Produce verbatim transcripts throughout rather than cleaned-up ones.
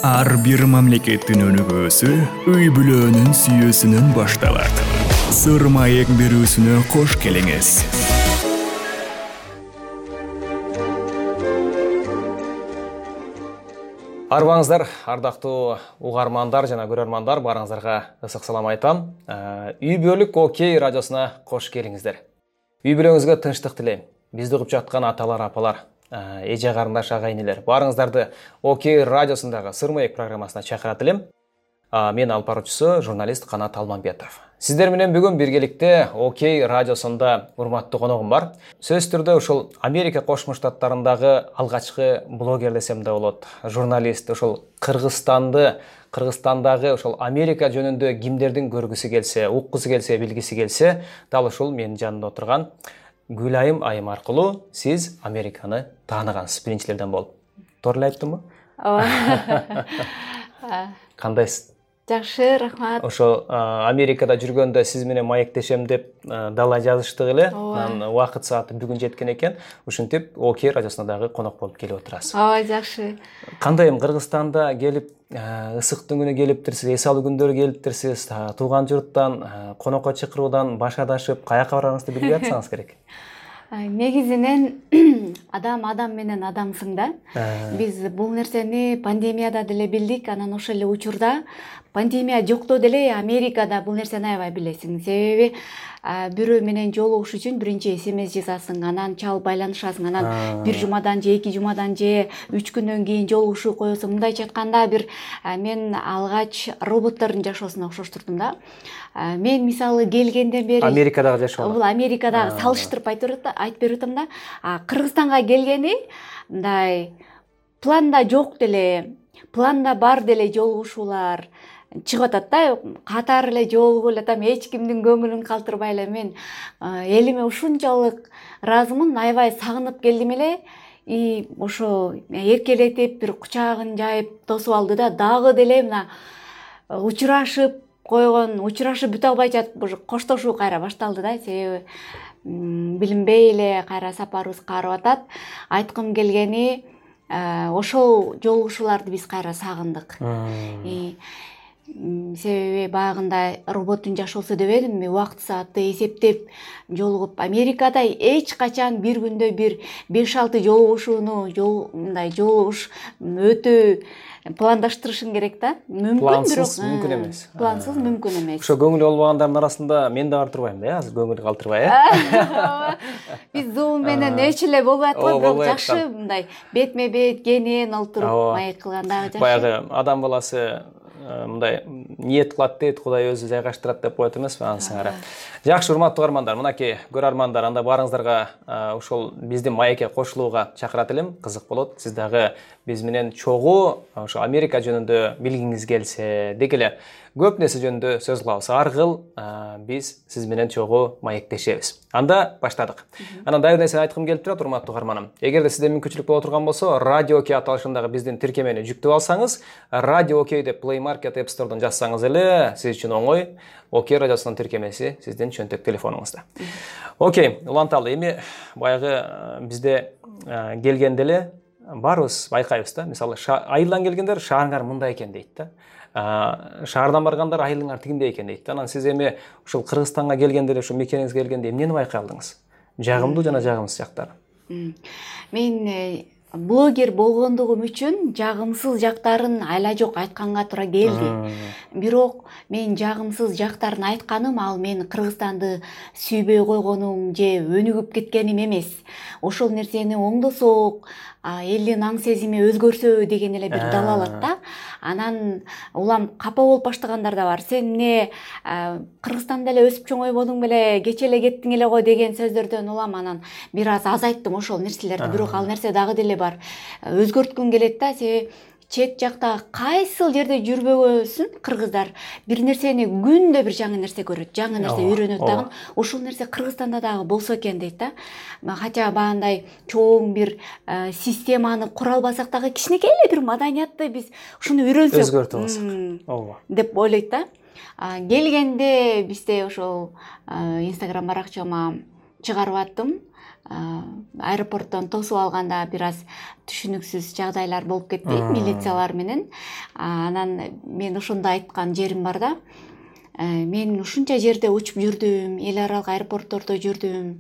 Ар бир мамлекеттин өнүгүүсү үй бүлөнүн сүйүүсүнөн башталат. Сыр маек берүүсүнө кош келиңиз. Арбаңыздар, ардактуу угармандар жана көрөрмандар, барыңыздарга ысык салам айтам. Үй бүлөлүк Окей радиосуна кош келиңиздер. Үй бүлөңүзгө тынчтык тилейм. Бизди угуп жаткан аталар, апалар, эже карындаш, агайнелер, барыңыздарды Окей радиосундагы Сыр маек программасына чакырат элем. Мен алып баруучусу журналист Канат Алмамбетов. Сиздер менен бүгүн биргеликте Окей радиосунда урматтуу коногум бар. Сөзсүз түрдө ушул Америка Кошмо Штаттарындагы алгачкы блогер десем да болот, журналист, ушул Кыргызстанды, Кыргызстандагы ушул Америка жөнүндө кимдердин көргүсү келсе, уккусу келсе, билгиси келсе, дал ушул менин жанымда отурган Гүлайым айым аркылуу сиз Американы тааныгансыз биринчилерден болуп. Туура эле айттымбы? Ооба. Кандайсыз? Жакшы, рахмат. Ошо Америкада жүргөндө сиз менен маектешем деп дала жазыштык эле. Анан убакыт сааты бүгүн жеткен экен. Ушинтип Окей радиосуна дагы конок болуп келип отурасыз. Ооба, жакшы. Кандай эми Кыргызстанда келип, ысыктын күнү келиптирсиз, эс алуу күндөрү келиптирсиз, тууган журттан, конокко чакыруудан баш адашып, каяка барганыңызды билбей атсаңыз керек. Негизинен адам адам менен адамсың да. Биз бул нерсени пандемияда деле билдик, анан ошол эле учурда пандемия жокто деле Америкада бул нерсени аябай билесиң. Себеби бирөө менен жолугуш үчүн биринчи эс эм эс жазасың, анан чалып байланышасың, анан бир жумадан же эки жумадан же үч күндөн кийин жолугушуу коесуң. Мындайча айтканда бир мен алгач роботтордун жашоосуна окшоштурдум да. Мен мисалы келгенден бери Америкадагы жашоо. Бул Америкадагы салыштырып айтып берип атам да. Кыргызстанга келгени мындай планда жок деле, планда бар деле жолугушуулар чыгып атат да. Катар эле жолугуп эле атам, эч кимдин көңүлүн калтырбай эле мен элиме ушунчалык ыраазымын, аябай сагынып келдим эле. И ошо эркелетип бир кучагын жайып тосуп алды да. Дагы деле мына учурашып койгон, учурашып бүтө албай жатып уже коштошуу кайра башталды да. Себеби билинбей эле кайра сапарыбыз карып атат. Айткым келгени ошол жолугушууларды биз кайра сагындык. Себеби баягындай роботтун жашоосу дебедимби, убакыт саатты эсептеп жолугуп, Америкада эч качан бир күндө бир беш алты жолугушууну мындай жолугуш өтө пландаштырышың керек да. Мүмкүн, бирок мүмкүн эмес. Плансыз мүмкүн эмес. Ошо көңүл болбогандардын арасында мен да бар турбайм да, азыр көңүл калтырбай, э? Биз Zoom менен эч эле болбой аткан, бирок жакшы мындай бетме бет кенен олтуруп маек кылганда жакшы. Баягы адам баласы мындай ниет кылат дейт, Кудай өзү жайгаштырат деп коет эмеспи, ансыңар. Жакшы, урматтуу угармандар, мынакей көрөрмандар, анда барыңыздарга ушул биздин маекке кошулууга чакырат элем. Кызык болот. Сиз дагы биз менен чогуу ошо Америка жөнүндө билгиңиз келсе, деги эле көп нерсе жөнүндө сөз кылабыз. Ар кыл биз сиз менен чогуу маектешебиз. Анда баштадык. Анан дайыр нерсе айткым келип турат, урматтуу угарманым. Эгерде сизде мүмкүнчүлүк боло турган болсо, Радио Окей аталышындагы биздин тиркемени жүктөп алсаңыз, Радио Окей деп Play Market App Store'дон жазсаңыз эле сиз үчүн оңой. Окей радиосунун тиркемеси сиздин чөнтөк телефонуңузда. Окей, уланталы. Эми баягы бизде келгенде эле барыбыз байкайбыз да. Мисалы, айылдан келгендер шаарыңар мындай экен дейт да. Шаардан баргандар айылыңар тигиндей экен дейт да. Анан сиз эми ушул Кыргызстанга келгенде эле, ушу мекениңизге келгенде эмнени байкай алдыңыз? Жагымдуу жана жагымсыз жактары. Мен блогер болгондугум үчүн жагымсыз жактарын айла жок айтканга туура келди. Бирок мен жагымсыз жактарын айтканым ал мен Кыргызстанды сүйбөй койгонум же өнүгүп кеткеним эмес. Ошол нерсени оңдосок, элдин аң сезими өзгөрсө деген эле бир далалат да. Анан улам капа болуп баштагандар да бар. Сен эмне Кыргызстанда эле өсүп чоңойбодуң беле, кече эле кеттиң эле го деген сөздөрдөн улам анан бир аз азайттым ошол нерселерди. Бирок ал нерсе дагы деле бар. Өзгөрткүм келет да. Себеби чет жакта кайсыл жерде жүрбөгөсүн кыргыздар бир нерсени күндө бир жаңы нерсе көрөт, жаңы нерсе үйрөнөт дагы. Ошол нерсе Кыргызстанда дагы болсо экен дейт да. Хотя баягындай чоң бир системаны кура албасак дагы кичинекей эле бир маданиятты биз ушуну үйрөнсөк, өзгөртүп алсак деп ойлойт да. Келгенде бизде ошол Instagram баракчама чыгарып аттым. аэропорттон тосуп алганда бир аз түшүнүксүз жагдайлар болуп кетти милициялар менен. Анан мен ошондо айткан жерим бар да. Мен ушунча жерде учуп жүрдүм, эл аралык аэропорттордо жүрдүм.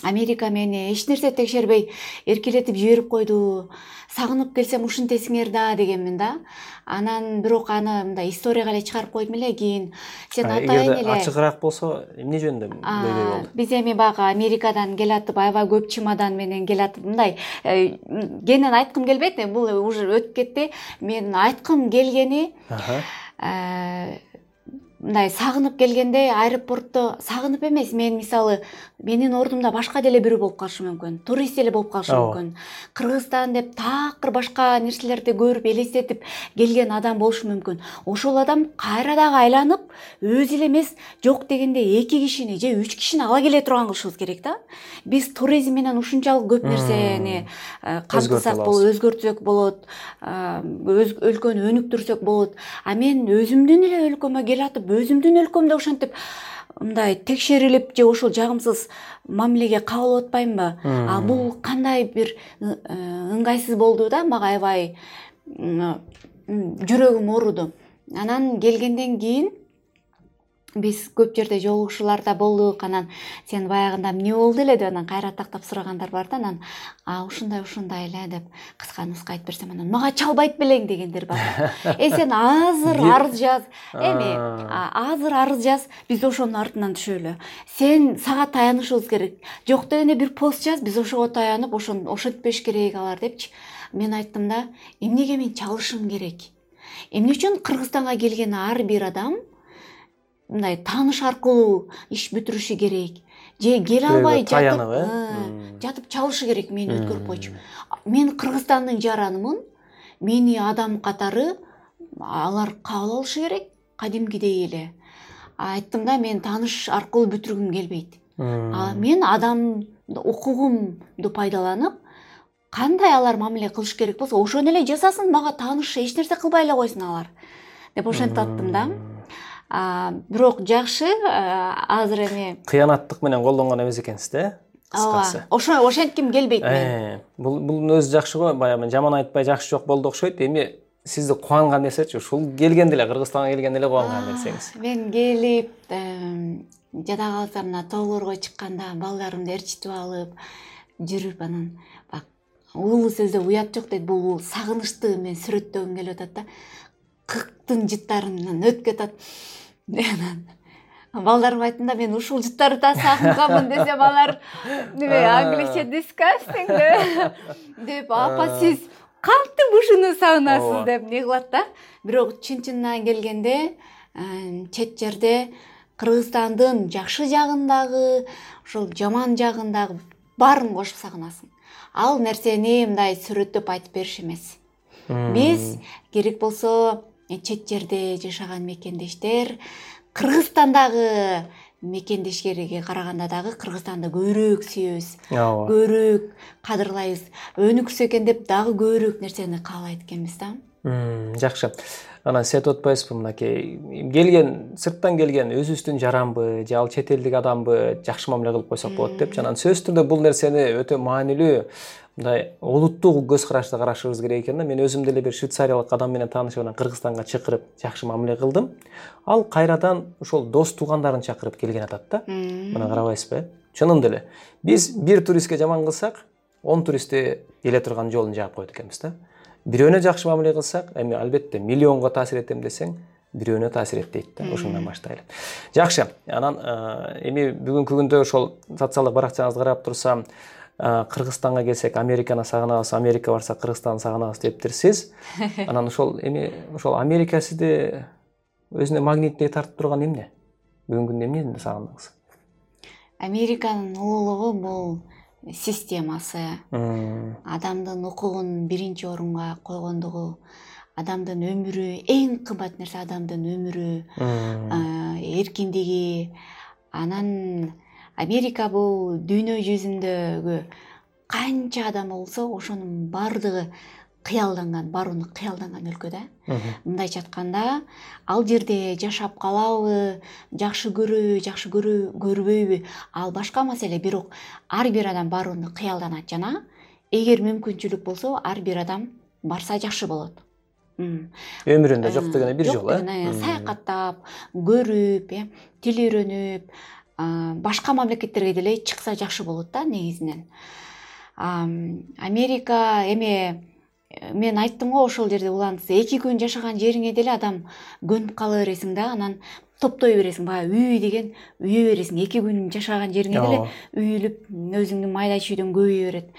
Америка мени эч нерсе текшербей эркелетип жиберип койду. Сагынып келсем ушинтесиңер да дегенмин да. Анан бирок аны мындай историяга эле чыгарып койдум эле. Кийин сен атайын эле ачыгыраак болсо эмне жөнүндө көйгөй болду? Биз эми баягы Америкадан келатып, аябай көп чемодан менен келатып, мындай кенен айткым келбейт, бул уже өтүп кетти. Мен айткым келгени мындай сагынып келгенде аэропортто сагынып эмес, мен мисалы менин ордумда башка деле бирөө болуп калышы мүмкүн, турист эле болуп калышы мүмкүн. Кыргызстан деп такыр башка нерселерди көрүп элестетип келген адам болушу мүмкүн. Ошол адам кайра дагы айланып өзү эле эмес, жок дегенде эки кишини же үч кишини ала келе турган кылышыбыз керек да. Биз туризм менен ушунчалык көп нерсени камтысак болот, өзгөртсөк болот, өз өлкөнү өнүктүрсөк болот. А мен өзүмдүн эле өлкөмө келатып, өзүмдүн өлкөмдө ошентип мындай текшерилип же ошол жагымсыз мамилеге кабыл атпаймынбы? А бул кандай бир ыңгайсыз болду да, мага аябай жүрөгүм ооруду. Анан келгенден кийин биз көп жерде жолугушуулар да болдук. Анан сен баягында эмне болду эле деп анан кайра тактап сурагандар бар да. Анан а ушундай ушундай эле деп кыска нуска айтып берсем, анан мага чалбайт белең дегендер бар. Э сен азыр арыз жаз. Эми азыр арыз жаз, биз ошонун артынан түшөлү. Сен сага таянышыбыз керек. Жок дегенде бир пост жаз, биз ошого таянып, ошон ошентпеш керек алар депчи. Мен айттым да, эмнеге мен чалышым керек? Эмне үчүн Кыргызстанга келген ар бир адам мындай тааныш аркылуу иш бүтүрүшү керек? Же келе албай жатып, жатып чалышы керек мени өткөрүп койчу. Мен Кыргызстандын жаранымын. Мени адам катары алар кабыл алышы керек, кадимгидей эле. Айттым да, мен тааныш аркылуу бүтүргүм келбейт. А мен адам укугумду пайдаланып, кандай алар мамиле кылыш керек болсо, ошону эле жасасын, мага тааныш эч нерсе кылбай эле койсун алар деп ошентип аттым да. Бирок жакшы, азыр эми кыянаттык менен колдонгон эмес экенсиз да, кыскасы. Ошо ошентким келбейт мен. Бул бул өзү жакшы го, баягы жаман айтпай жакшы жок болду окшойт. Эми сизди кубанган нерсечи, ушул келгенде эле Кыргызстанга келгенде эле кубанган нерсеңиз. Мен келип, жада калса мына тоолорго чыкканда балдарымды ээрчитип алып жүрүп, анан бак улуу сөздө уят жок дейт, бул сагынычты мен сүрөттөгүм келип атат да. Кыктын жыттарынан өтүп кетет. Анан балдарыма айттым да, мен ушул жыттарды да сагынганмын десем, алар неме англисче disgusting деп, апа сиз кантип ушуну сагынасыз деп не кылат да. Бирок чын-чынынан келгенде чет жерде Кыргызстандын жакшы жагындагы, ошол жаман жагындагы баарын кошуп сагынасың. Ал нерсени мындай сүрөттөп айтып бериш эмес. Биз керек болсо чет жерде жашаган мекендештер Кыргызстандагы мекендештерге караганда дагы Кыргызстанды көбүрөөк сүйөбүз, көбүрөөк кадырлайбыз, өнүксө экен деп дагы көбүрөөк нерсени каалайт экенбиз да. Жакшы. Анан сет отпайсызбы, мынакей келген, сырттан келген өзүбүздүн жаранбы, же ал чет элдик адамбы жакшы мамиле кылып койсок болот деп, анан сөзсүз түрдө бул нерсени өтө маанилүү мындай олуттук көз карашта карашыбыз керек экен да. Мен өзүм деле бир швейцариялык адам менен таанышып, анан Кыргызстанга чакырып жакшы мамиле кылдым. Ал кайрадан ошол дос туугандарын чакырып келген атат да. Мына карабайсызбы? Чынында эле. Биз бир туристке жаман кылсак, он туристти келе турган жолун жаап коет экенбиз да. Бирөөнө жакшы мамиле кылсак, эми албетте миллионго таасир этем десең, бирөөнө таасир этпейт да. Ошондон баштайлы. Жакшы. Анан эми бүгүнкү күндө ошол социалдык баракчаңызды карап турсам, Кыргызстанга келсек Американы сагынабыз, Америка барса Кыргызстанды сагынабыз дептирсиз. Анан ошол эми ошол Америка сизди өзүнө магниттей тартып турган эмне? Бүгүнкү күндө эмнени сагындыңыз? Американын улуулугу бул системасы, адамдын укугун биринчи орунга койгондугу, адамдын өмүрү, эң кымбат нерсе адамдын өмүрү, эркиндиги. Анан Америка бул дүйнө жүзүндөгү канча адам болсо ошонун баардыгы кыялданган, барууну кыялданган өлкө да. Мындайча айтканда, ал жерде жашап калабы, жакшы көрөбү, жакшы көрбөйбү, ал башка маселе, бирок ар бир адам барууну кыялданат жана эгер мүмкүнчүлүк болсо, ар бир адам барса жакшы болот. Өмүрүндө жок дегене бир жол, э? Саякаттап, көрүп, э, тил үйрөнүп, башка мамлекеттерге деле чыкса жакшы болот да негизинен. Америка эме мен айттым го, ошол жерде улантса эки күн жашаган жериңе деле адам көнүп кала бересиң да, анан топтой бересиң, баягы үй деген үйө бересиң. эки күн жашаган жериңе деле үйүлүп, өзүңдүн майда чүйдөң көбөйө берет.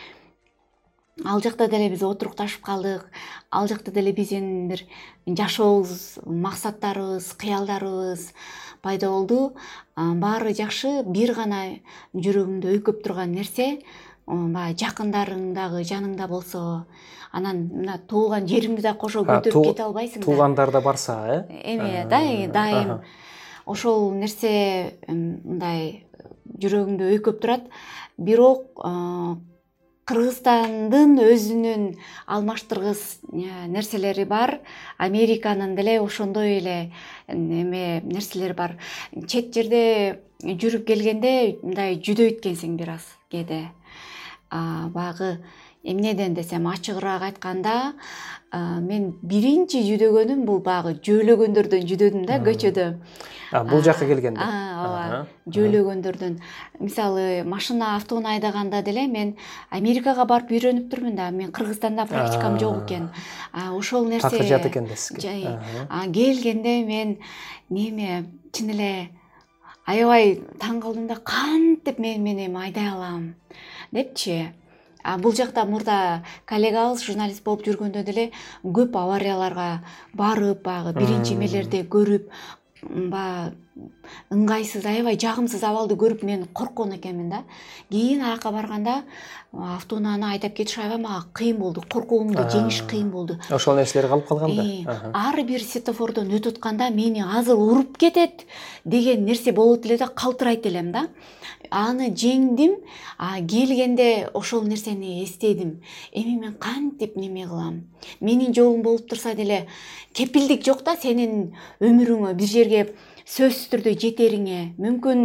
Ал жакта деле биз отурукташып калдык. Ал жакта деле биздин бир жашообуз, максаттарыбыз, кыялдарыбыз пайда болду. Баары жакшы, бир гана жүрөгүңдү өйкөп турган нерсе, баягы жакындарың дагы жаныңда болсо, анан мына туулган жериңди да кошо көтөрүп кете албайсың да. Туулгандар да барса, э? Эме да, дайым ошол нерсе мындай жүрөгүңдү өйкөп турат. Бирок Кыргызстандын өзүнүн алмаштыргыс нерселери бар. Американын деле ошондой эле эме нерселери бар. Чет жерде жүрүп келгенде мындай жүдөйт экенсиң бир аз кээде. Баягы эмнеден десем, ачыгыраак айтканда, мен биринчи жүдөгөнүм бул баягы жөөлөгөндөрдөн жүдөдүм да, көчөдө. Бул жакка келгенде. Ооба, жөөлөгөндөрдөн. Мисалы, машина, автоунаа айдаганда деле мен Америкага барып үйрөнүптүрмүн да, мен Кыргызстанда практикам жок экен. Ошол нерсе такыр жат экен да сизге. Келгенде мен неме чын эле аябай таң калдым да, кантип мен менен айдай алам депчи. Бул жакта мурда коллегабыз журналист болуп жүргөндө деле көп аварияларга барып, баягы биринчи эмелерди көрүп, баягы ыңгайсыз, аябай жагымсыз абалды көрүп мен корккон экенмин да. Кийин аяка барганда автоунааны айдап кетиш аябай мага кыйын болду, коркуумду жеңиш кыйын болду. Ошол нерселер калып калганда. Ар бир светофордон өтүп атканда мени азыр уруп кетет деген нерсе болот эле да, калтырайт элем да. Аны жеңдим, келгенде ошол нерсени эстедим. Эми мен кантип неме кылам? Менин жолум болуп турса деле кепилдик жок да, сенин өмүрүңө бир жерге сөзсүз түрдө жетериңе. Мүмкүн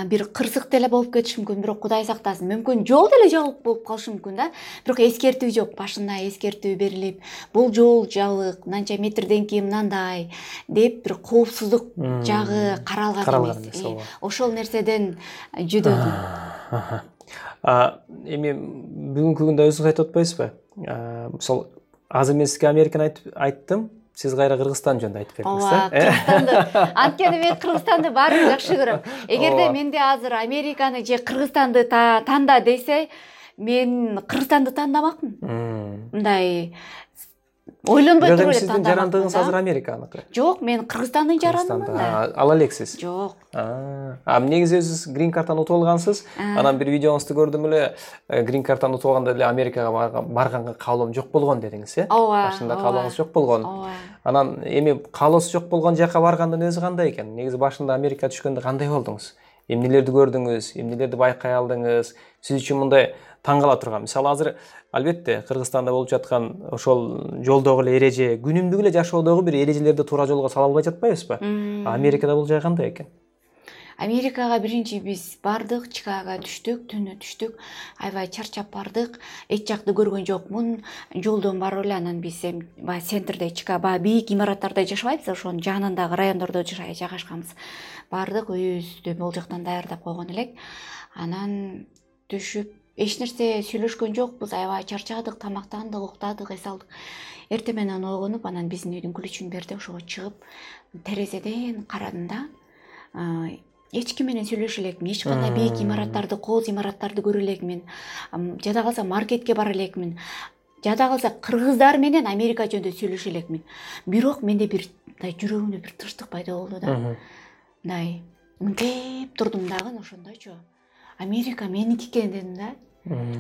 бир кырсык деле болуп кетиши мүмкүн, бирок Кудай сактасын. Мүмкүн жол деле жабык болуп калышы мүмкүн да. Бирок эскертүү жок, башында эскертүү берилип, бул жол жабык, мынанча метрден кийин мынандай деп бир коопсуздук жагы каралган эмес. Ошол нерседен жүдөдүм. Эми бүгүнкү күндө өзүңүз айтып атпайсызбы? Мисалы, азыр мен сизге Американы айттым, сиз кайра Кыргызстан жөнүндө айтып бердиңиз да. Кыргызстанды. Анткени мен Кыргызстанды баары жакшы көрөм. Эгерде менде азыр Американы же Кыргызстанды танда десе, мен Кыргызстанды тандамакмын. Мындай ойлонбой туруп эле сиздин жарандыгыңыз азыр Американыкы. Жок, мен Кыргызстандын жарандымын да. Ала элексиз? Жок. А негизи өзүңүз грин картаны утуп алгансыз. Анан бир видеоңузду көрдүм эле, грин картаны утуп алганда эле Америкага барганга каалоом жок болгон дедиңиз, э? Башында каалооңуз жок болгон. Анан эми каалоосу жок болгон жака баргандын өзү кандай экен? Негизи башында Америкага түшкөндө кандай болдуңуз? Эмнелерди көрдүңүз? Эмнелерди байкай алдыңыз? Сиз үчүн мындай таң кала турган. Мисалы азыр албетте Кыргызстанда болуп жаткан ошол жолдогу эле эреже, күнүмдүк эле жашоодогу бир эрежелерди туура жолго сала албай жатпайбызбы? Америкада бул жай кандай экен? Америкага биринчи биз бардык, Чикагого түштүк, түнү түштүк, аябай чарчап бардык. Эч жакты көргөн жокмун. Жолдон барып эле анан биз баягы центрде, Чикаго бийик имараттарда жашабайбыз, ошонун жанындагы райондордо жашашканбыз. Бардык, үйүбүздү бул жактан даярдап койгон элек. Анан түшүп, эч нерсе сүйлөшкөн жокпуз, аябай чарчадык, тамактандык, уктадык, эс алдык. Эртең менен ойгонуп, анан биздин үйдүн ключун берди, ошого чыгып, терезеден карадым да. Эч ким менен сүйлөшө элекмин, эч кандай бийик имараттарды, кооз имараттарды көрө элекмин. Жада калса маркетке бара элекмин. Жада калса кыргыздар менен Америка жөнүндө сүйлөшө элекмин. Бирок менде бир жүрөгүмдө бир тынчтык пайда болду да. Мындай мынтип турдум дагы ошондойчу. Америка меники экен дедим да.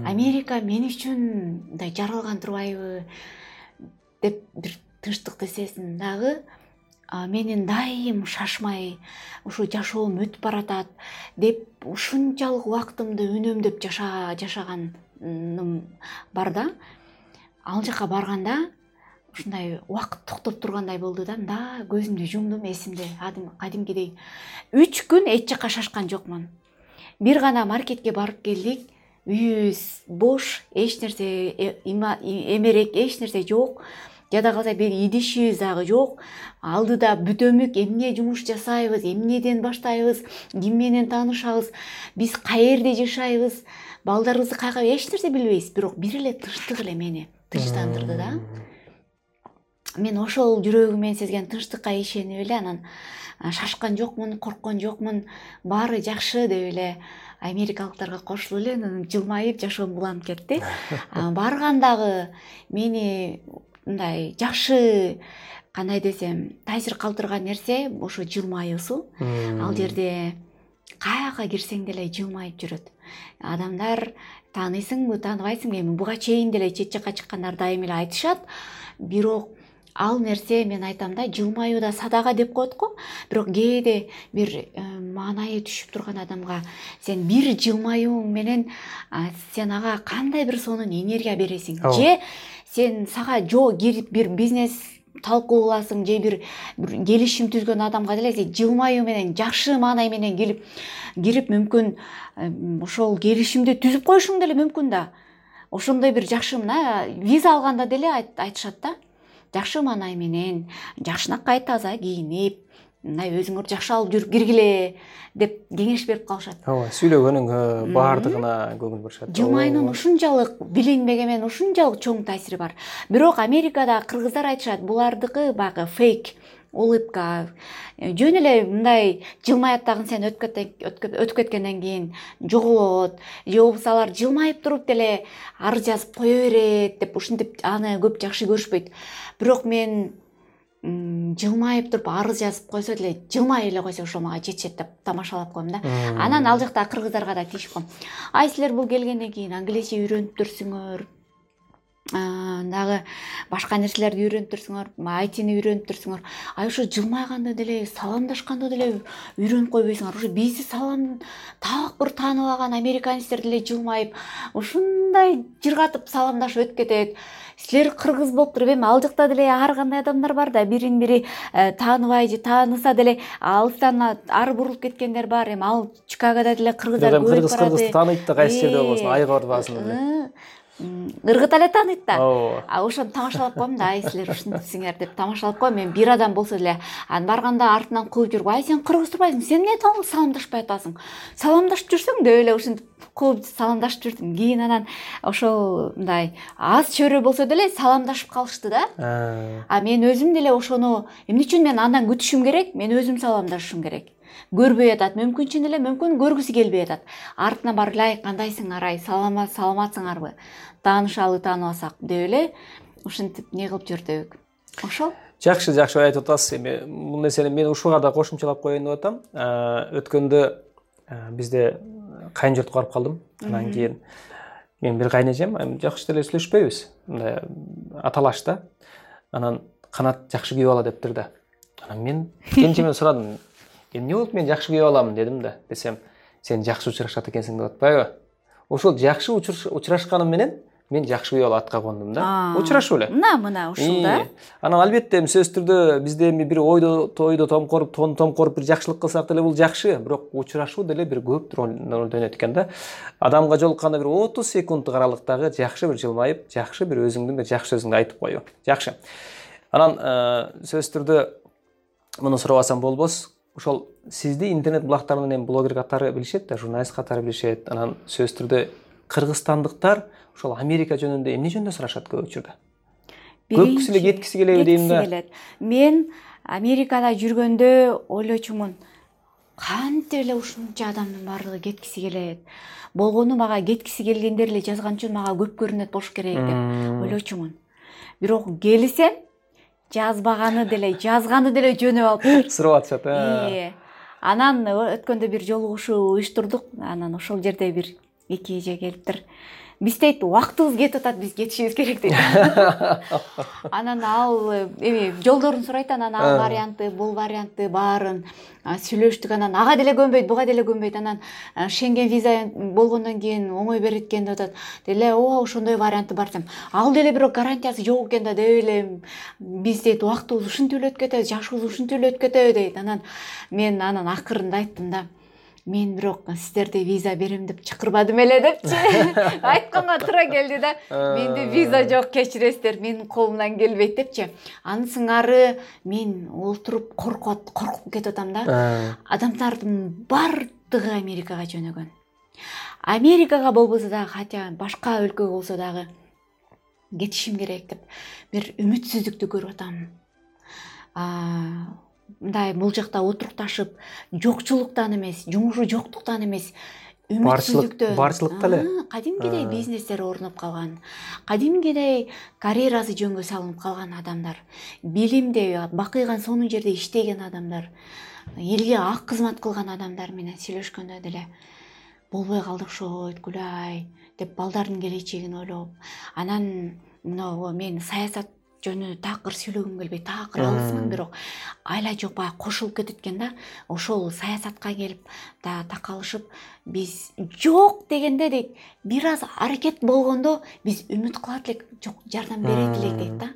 Америка мен үчүн мындай жаралган турбайбы деп бир тынчтыкты сездим дагы. Менин дайым шашмай ушу жашоом өтүп баратат деп ушунчалык убактымды үнөмдөп жашаганым бар да. ал жака барганда ушундай убакыт токтоп тургандай болду да. Мында көзүмдү жумдум, эсимде кадимкидей. үч күн эч жака шашкан жокмун. Бир гана маркетке барып келдик. Үйүбүз бош, эч нерсе эмерек, эч нерсе жок. Жада калса бир идишибиз дагы жок. Алдыда бүтөмүк эмне жумуш жасайбыз, эмнеден баштайбыз, ким менен таанышабыз, биз каерде жашайбыз, балдарыбызды кайга, эч нерсе билбейбиз. Бирок бир эле тынчтык эле мени тынчтандырды да. Мен ошол жүрөгүмөн сезген тынчтыкка ишенип эле анан шашкан жокмун, корккон жокмун, баары жакшы деп эле америкалыктарга кошулуп эле анан жылмайып жашоом уланып кетти. Баргандагы мени мындай жакшы, кандай десем, таасир калтырган нерсе ошо жылмаюусу. Ал жерде каяка кирсең деле жылмайып жүрөт. Адамдар тааныйсыңбы, тааныбайсыңбы, эми буга чейин деле чет жакка чыккандар дайым эле айтышат. Бирок ал нерсе, мен айтам да, жылмаюу да садага деп коет го. Бирок кээде бир маанайы түшүп турган адамга сен бир жылмаюуң менен сен ага кандай бир сонун энергия бересиң. Же сен сага жок кирип бир бизнес талкууласың, же бир келишим түзгөн адамга деле сен жылмаюу менен, жакшы маанай менен келип кирип мүмкүн ошол келишимди түзүп коюшуң деле мүмкүн да. Ошондой бир жакшы мына виза алганда деле айтышат да. Жакшы маанай менен, жакшынакай таза кийинип, мындай өзүңөр жакшы алып жүрүп киргиле деп кеңеш берип калышат. Ооба, сүйлөгөнүң баардыгына көңүл бурушат. Жылмайуунун ушунчалык билинбеге менен ушунчалык чоң таасири бар. Бирок Америкада кыргыздар айтышат, булардыкы баягы фейк, улыбка. Жөн эле мындай жылмаят дагы сен өтүп кеткенден кийин жоголот. Же болбосо алар жылмайып туруп деле арыз жазып кое берет деп ушинтип аны көп жакшы көрүшпөйт. Бирок мен жылмайып туруп арыз жазып койсо деле, жылмай эле койсо ошол мага жетишет деп тамашалап коем да. Анан ал жакта кыргыздарга да тийишип коем. Ай силер бул келгенден кийин англисче үйрөнүптүрсүңөр, дагы башка нерселерди үйрөнүптүрсүңөр, ай тини үйрөнүптүрсүңөр. Ай ошо жылмайганды деле, саламдашканды деле үйрөнүп койбойсуңар. Ошо бизди салам такыр тааныбаган американецтер деле жылмайып, ушундай жыргатып саламдашып өтүп кетет. Силер кыргыз болуп туруп эми ал жакта деле ар кандай адамдар бар да, бирин бири тааныбай же тааныса деле алыстан ары бурулуп кеткендер бар. Эми ал Чикагода деле кыргыздар көп барат. Кыргыз кыргызды тааныйт да, кайсы жерде болбосун, айга барбасын деле. Ыргыт эле тааныйт да. А ошону тамашалап коем да, ай силер ушинтипсиңер деп тамашалап коем. Мен бир адам болсо деле, анан барганда артынан кууп жүрүп, ай сен кыргыз турбайсың, сен эмне саламдашпай атасың? Саламдашып жүрсөң деп эле ушинтип кууп саламдашып жүрдүм. Кийин анан ошол мындай аз чөйрө болсо деле саламдашып калышты да. А мен өзүм деле ошону эмне үчүн мен андан күтүшүм керек? Мен өзүм саламдашышым керек. Көрбөй атат, мүмкүн эле, мүмкүн көргүсү келбей атат. Артына барып эле, кандайсыңар, ай, саламат, саламатсыңарбы? Таанышалы, тааныбасак деп эле ушинтип не кылып жүрдүк. Ошол. Жакшы, жакшы айтып атасыз. Эми бул нерсени мен ушуга да кошумчалап коеюн деп атам. Өткөндө бизде кайын журтка барып калдым. Анан кийин мен бир кайнэжем, эми жакшы деле сүйлөшпөйбүз. Мындай аталаш да. Анан канат жакшы кийип ала дептир да. Анан мен кенжемен сурадым. Эмне болуп мен жакшы кийип алам дедим да. Десем, сен жакшы учурашат экенсиң деп атпайбы? Ошол жакшы учурашканым менен мен жакшы кийип алып атка кондум да. Учурашып эле. Мына мына ушул да. Анан албетте эми сөзсүз түрдө бизде эми бир ойдо тойдо томкоруп, тон томкоруп бир жакшылык кылсак деле бул жакшы, бирок учурашуу деле бир көп роль ойнойт экен да. Адамга жолукканда бир отуз секунддук аралыктагы жакшы бир жылмайып, жакшы бир өзүңдүн бир жакшы сөзүңдү айтып коюу. Жакшы. Анан сөзсүз түрдө муну сурабасам болбос. Ошол сизди интернет булактарынан эми блогер катары билишет да, журналист катары билишет. Анан сөзсүз түрдө кыргызстандыктар ошол Америка жөнүндө эмне жөнүндө сурашат көп учурда? Көп киши эле кеткиси келеби дейм да. Мен Америкада жүргөндө ойлочумун, кантип эле ушунча адамдын баардыгы кеткиси келет. Болгону мага кеткиси келгендер эле жазган үчүн мага көп көрүнөт болуш керек деп ойлочумун. Бирок келсем, жазбаганы деле, жазганы деле жөнөп алып сурап атышат. Э. Анан өткөндө бир жолугушуу уюштурдук. Анан ошол жерде бир эки эже келиптир. биз дейт убактыбыз кетип атат, биз кетишибиз керек дейт. Анан ал эми жолдорун сурайт, анан ал варианты, бул варианты баарын сүйлөштүк. Анан ага деле көнбөйт, буга деле көнбөйт. Анан Шенген виза болгондон кийин оңой берет экен деп атат. Деле ооба ошондой варианты бар десем, ал деле бирок гарантиясы жок экен да деп эле биз дейт убактыбыз ушинтип эле өтүп кетеби, жашыбыз ушинтип эле өтүп кетеби дейт. Анан мен анан акырында айттым да, мен бирок сиздерде виза берем деп чакырбадым эле депчи. Айтканга туура келди да. Менде виза жок, кечиресиздер, менин колумдан келбейт депчи. Анын сыңары мен олтуруп коркуп коркуп кетип атам да. Адамдардын бардыгы Америкага жөнөгөн. Америкага болбосо дагы, хотя башка өлкөгө болсо дагы кетишим керек деп бир үмүтсүздүктү көрүп атам. Мындай бул жакта отурукташып, жокчулуктан эмес, жумушу жоктуктан эмес, үмүтсүздүктөн, барчылыкта эле кадимгидей бизнестер орнуп калган, кадимгидей карьерасы жөнгө салынып калган адамдар, билимде бакыйган сонун жерде иштеген адамдар, элге ак кызмат кылган адамдар менен сүйлөшкөндө деле болбой калдык шойт, Гүлай деп балдардын келечегин ойлоп, анан мына мен саясат жөнүндө такыр сүйлөгүм келбейт, такыр алысмын, бирок айла жок баягы кошулуп кетет экен да. Ошол саясатка келип да такалышып, биз жок дегенде дейт, бир аз аракет болгондо биз үмүт кылат элек, жок жардам берет элек дейт да.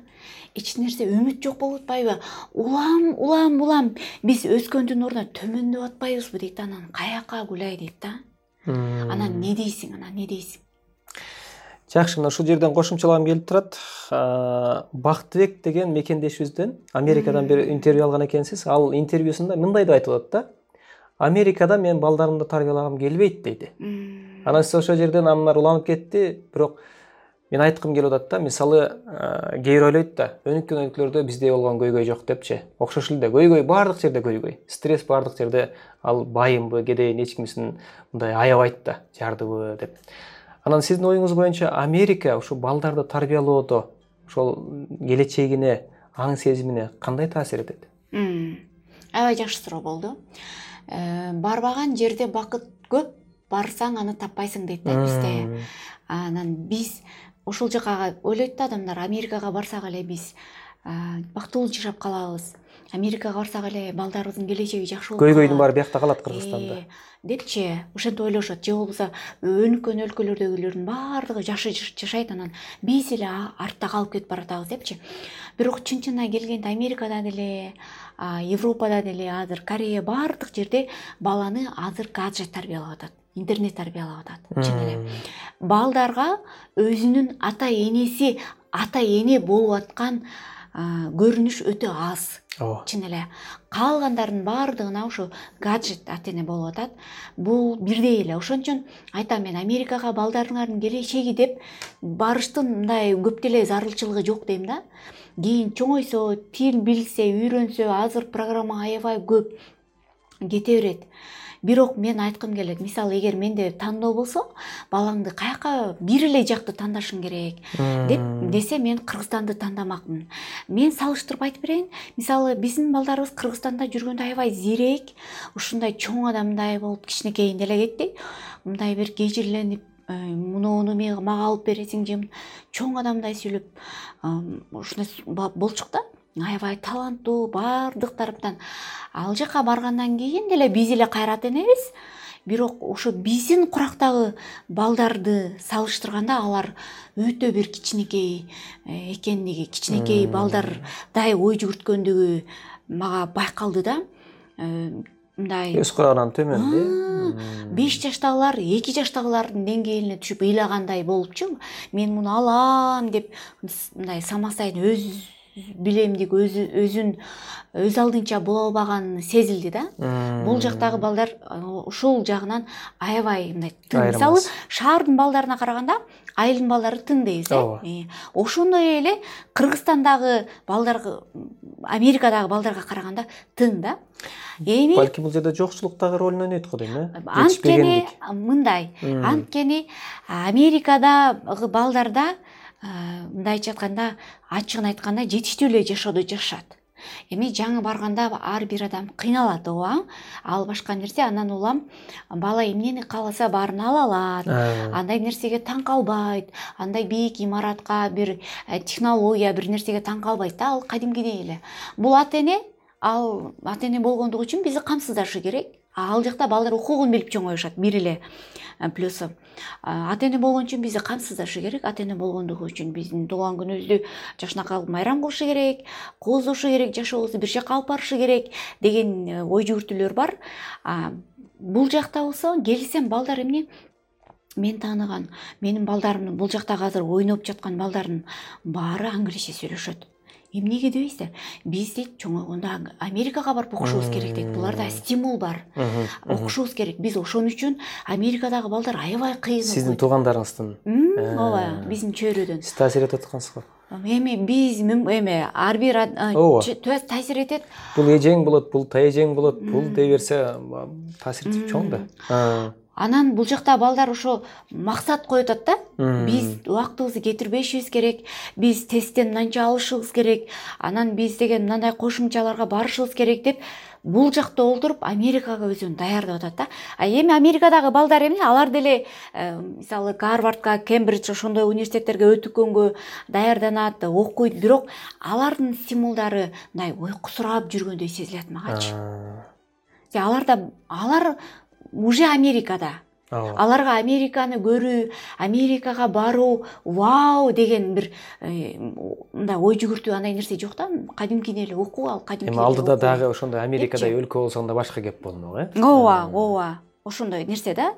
Эч нерсе үмүт жок болуп атпайбы? Улам, улам, улам биз өскөндүн ордуна төмөндөп атпайбызбы дейт. Анан каяка Гүлай дейт да. Анан не дейсиң, анан не дейсиң? Жакшы, мына ушул жерден кошумчалагым келип турат. Бактыбек деген мекендешибизден Америкадан бир интервью алган экенсиз. Ал интервьюсунда мындай деп айтып атат да. Америкада мен балдарымды тарбиялагым келбейт дейт. Анан сиз ошол жерден анар уланып кетти, бирок мен айткым келип атат да, мисалы, кээ бир ойлойт да, өнүккөн өлкөлөрдө бизде болгон көйгөй жок депчи. Окшош эле, көйгөй баардык жерде көйгөй. Стресс баардык жерде, ал байымбы, кедейин эч кимисин мындай аябайт да, жардыбы деп. Анан сиздин оюңуз боюнча Америка ушу балдарды тарбиялоодо, ошол келечегине, аң сезимине кандай таасир этет? Аябай жакшы суроо болду. Барбаган жерде бакыт көп, барсаң аны таппайсың дейт да бизде. Анан биз ошол жака ойлойт да адамдар, Америкага барсак эле биз бактылуу жашап калабыз. Америкага барсак эле балдарыбыздын келечеги жакшы болот. Көйгөйдүн баары биякта калат Кыргызстанда. Депчи, ошентип ойлошот. Же болбосо өнүккөн өлкөлөрдөгүлөрдүн баардыгы жакшы жашайт, анан биз эле артта калып кетип баратабыз депчи. Бирок чын-чынына келгенде Америкада деле, Европада деле, азыр Корея баардык жерде баланы азыр гаджет тарбиялап атат. Интернет тарбиялап атат. Чын эле. Балдарга өзүнүн ата энеси, ата эне болуп аткан көрүнүш өтө аз. Чын эле. Калгандардын баардыгына ушу гаджет ата эне болуп атат. Бул бирдей эле. Ошон үчүн айтам, мен Америкага балдарыңардын келечеги деп барыштын мындай көп деле зарылчылыгы жок дейм да. Кийин чоңойсо, тил билсе, үйрөнсө, азыр программа аябай көп кете берет. Бирок мен айткым келет, мисалы, эгер менде тандоо болсо, балаңды каяка бир эле жакты тандашың керек деп десе, мен Кыргызстанды тандамакмын. Мен салыштырып айтып берейин. Мисалы, биздин балдарыбыз Кыргызстанда жүргөндө аябай зирек, ушундай чоң адамдай болуп, кичинекейин деле кетти. Мындай бир кежирленип, муну мага алып бересиң же чоң адамдай сүйлөп, ушундай болчук да. Аябай таланттуу, баардык тараптан. Ал жака баргандан кийин деле биз эле кайрат энебиз. Бирок ошо биздин курактагы балдарды салыштырганда алар өтө бир кичинекей экендиги, кичинекей балдардай ой жүгүрткөндүгү мага байкалды да. Мындай өз курагынан төмөн. беш жаштагылар эки жаштагылардын деңгээлине түшүп ыйлагандай болупчу. Мен муну алам деп мындай самасайын өз билемдик, өзүн өз алдынча боло албаган сезилди да. Бул жактагы балдар ушул жагынан аябай мындай тың. Мисалы, шаардын балдарына караганда айылдын балдары тың дейбиз. Ошондой эле Кыргызстандагы балдарга, Америкадагы балдарга караганда тың да. Эми балки бул жерде жокчулуктагы ролун ойнойт го дейм, э? Анткени мындай, анткени Америкадагы балдарда мындайча айтканда, ачыгын айтканда жетиштүү эле жашоодо жашашат. Эми жаңы барганда ар бир адам кыйналат, ооба. Ал башка нерсе. Анан улам бала эмнени кааласа баарын ала алат. Андай нерсеге таң калбайт. Андай бийик имаратка, бир технология, бир нерсеге таң калбайт да. Ал кадимкидей эле. Бул ата-эне, ал ата-эне болгондугу үчүн бизди камсыздашы керек. Ал жакта балдар укугун билип чоңоюшат. Бир эле плюсу. Ата-эне болгон үчүн бизди камсыздашы керек. Ата-эне болгондугу үчүн биздин туулган күнүбүздү жашына калып майрам кылышы керек, кооздошу керек, жашообузду бир жакка алып барышы керек деген ой жүгүртүүлөр бар. Бул жакта болсо келсем балдар эмне? Мен тааныган, менин балдарымдын бул жакта азыр ойноп жаткан балдардын баары англисче сүйлөшөт. Эмнеге дебейсиздер? Биз дейт чоңойгондо Америкага барып окушубуз керек дейт. Буларда стимул бар. Окушубуз керек. Биз ошон үчүн Америкадагы балдар аябай кыйын. Сиздин туугандарыңыздын? Ооба, биздин чөйрөдөн. Сиз таасир этип аткансызбы? Эми биз эми ар бир таасир этет. Бул эжең болот, бул таэжең болот, бул дей берсе таасир чоң да. Анан бул жакта балдар ошо максат коюп атат да. Биз убактыбызды кетирбешибиз керек. Биз тесттен мынанча алышыбыз керек. Анан биз деген мындай кошумчаларга барышыбыз керек деп бул жакта олтуруп Америкага өзүн даярдап атат да. А эми Америкадагы балдар эмне? Алар деле мисалы Гарвардга, Кембридж ошондой университеттерге өтүккөнгө даярданат, окуйт, бирок алардын стимулдары мындай ойкусурап жүргөндөй сезилет магачы. Аларда алар уже Америкада. Аларга Американы көрүү, Америкага баруу, вау деген бир мындай ой жүгүртүү андай нерсе жок да. Кадимкидей эле окуу, ал кадимкидей. Эми алдыда дагы ошондой Америкадай өлкө болсо анда башка кеп болмок, э? Ооба, ооба. Ошондой нерсе да.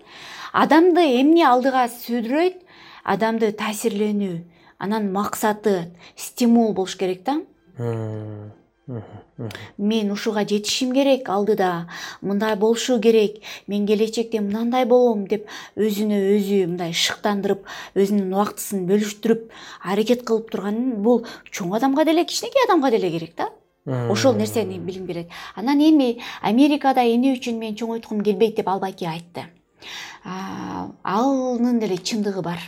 Адамды эмне алдыга сүрөйт? Адамды таасирленүү, анан максаты, стимул болуш керек да. Мен ушуга жетишим керек алдыда, мындай болушу керек, мен келечекте мындай болом деп өзүнө өзү мындай шыктандырып, өзүнүн убактысын бөлүштүрүп, аракет кылып турган бул чоң адамга деле, кичинекей адамга деле керек да. Ошол нерсени билим берет. Анан эми Америкада эмне үчүн мен чоңойткум келбейт деп ал байке айтты. Алнын деле чындыгы бар.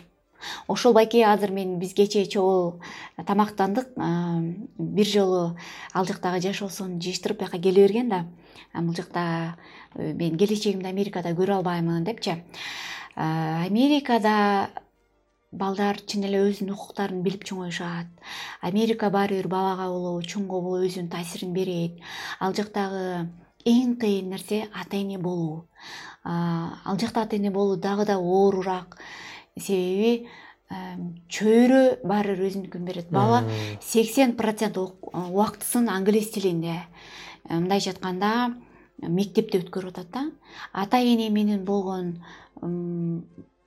Ошол байке азыр мен биз кечээ чогуу тамактандык, бир жолу ал жактагы жашоосун жыйыштырып бияка келе берген да. Бул жакта мен келечегимди Америкада көрө албаймын депчи. Америкада балдар чын эле өзүнүн укуктарын билип чоңоюшат. Америка баары бир бабага болобу, чоңго болобу өзүнүн таасирин берет. Ал жактагы эң кыйын нерсе ата-эне болуу. Ал жакта ата-эне болуу дагы да оорураак. Себеби чөйрө баары өзүнүкүн берет. Бала сексен процент убактысын англис тилинде. Мындайча айтканда мектепте өткөрүп атат да. Ата-эне менен болгон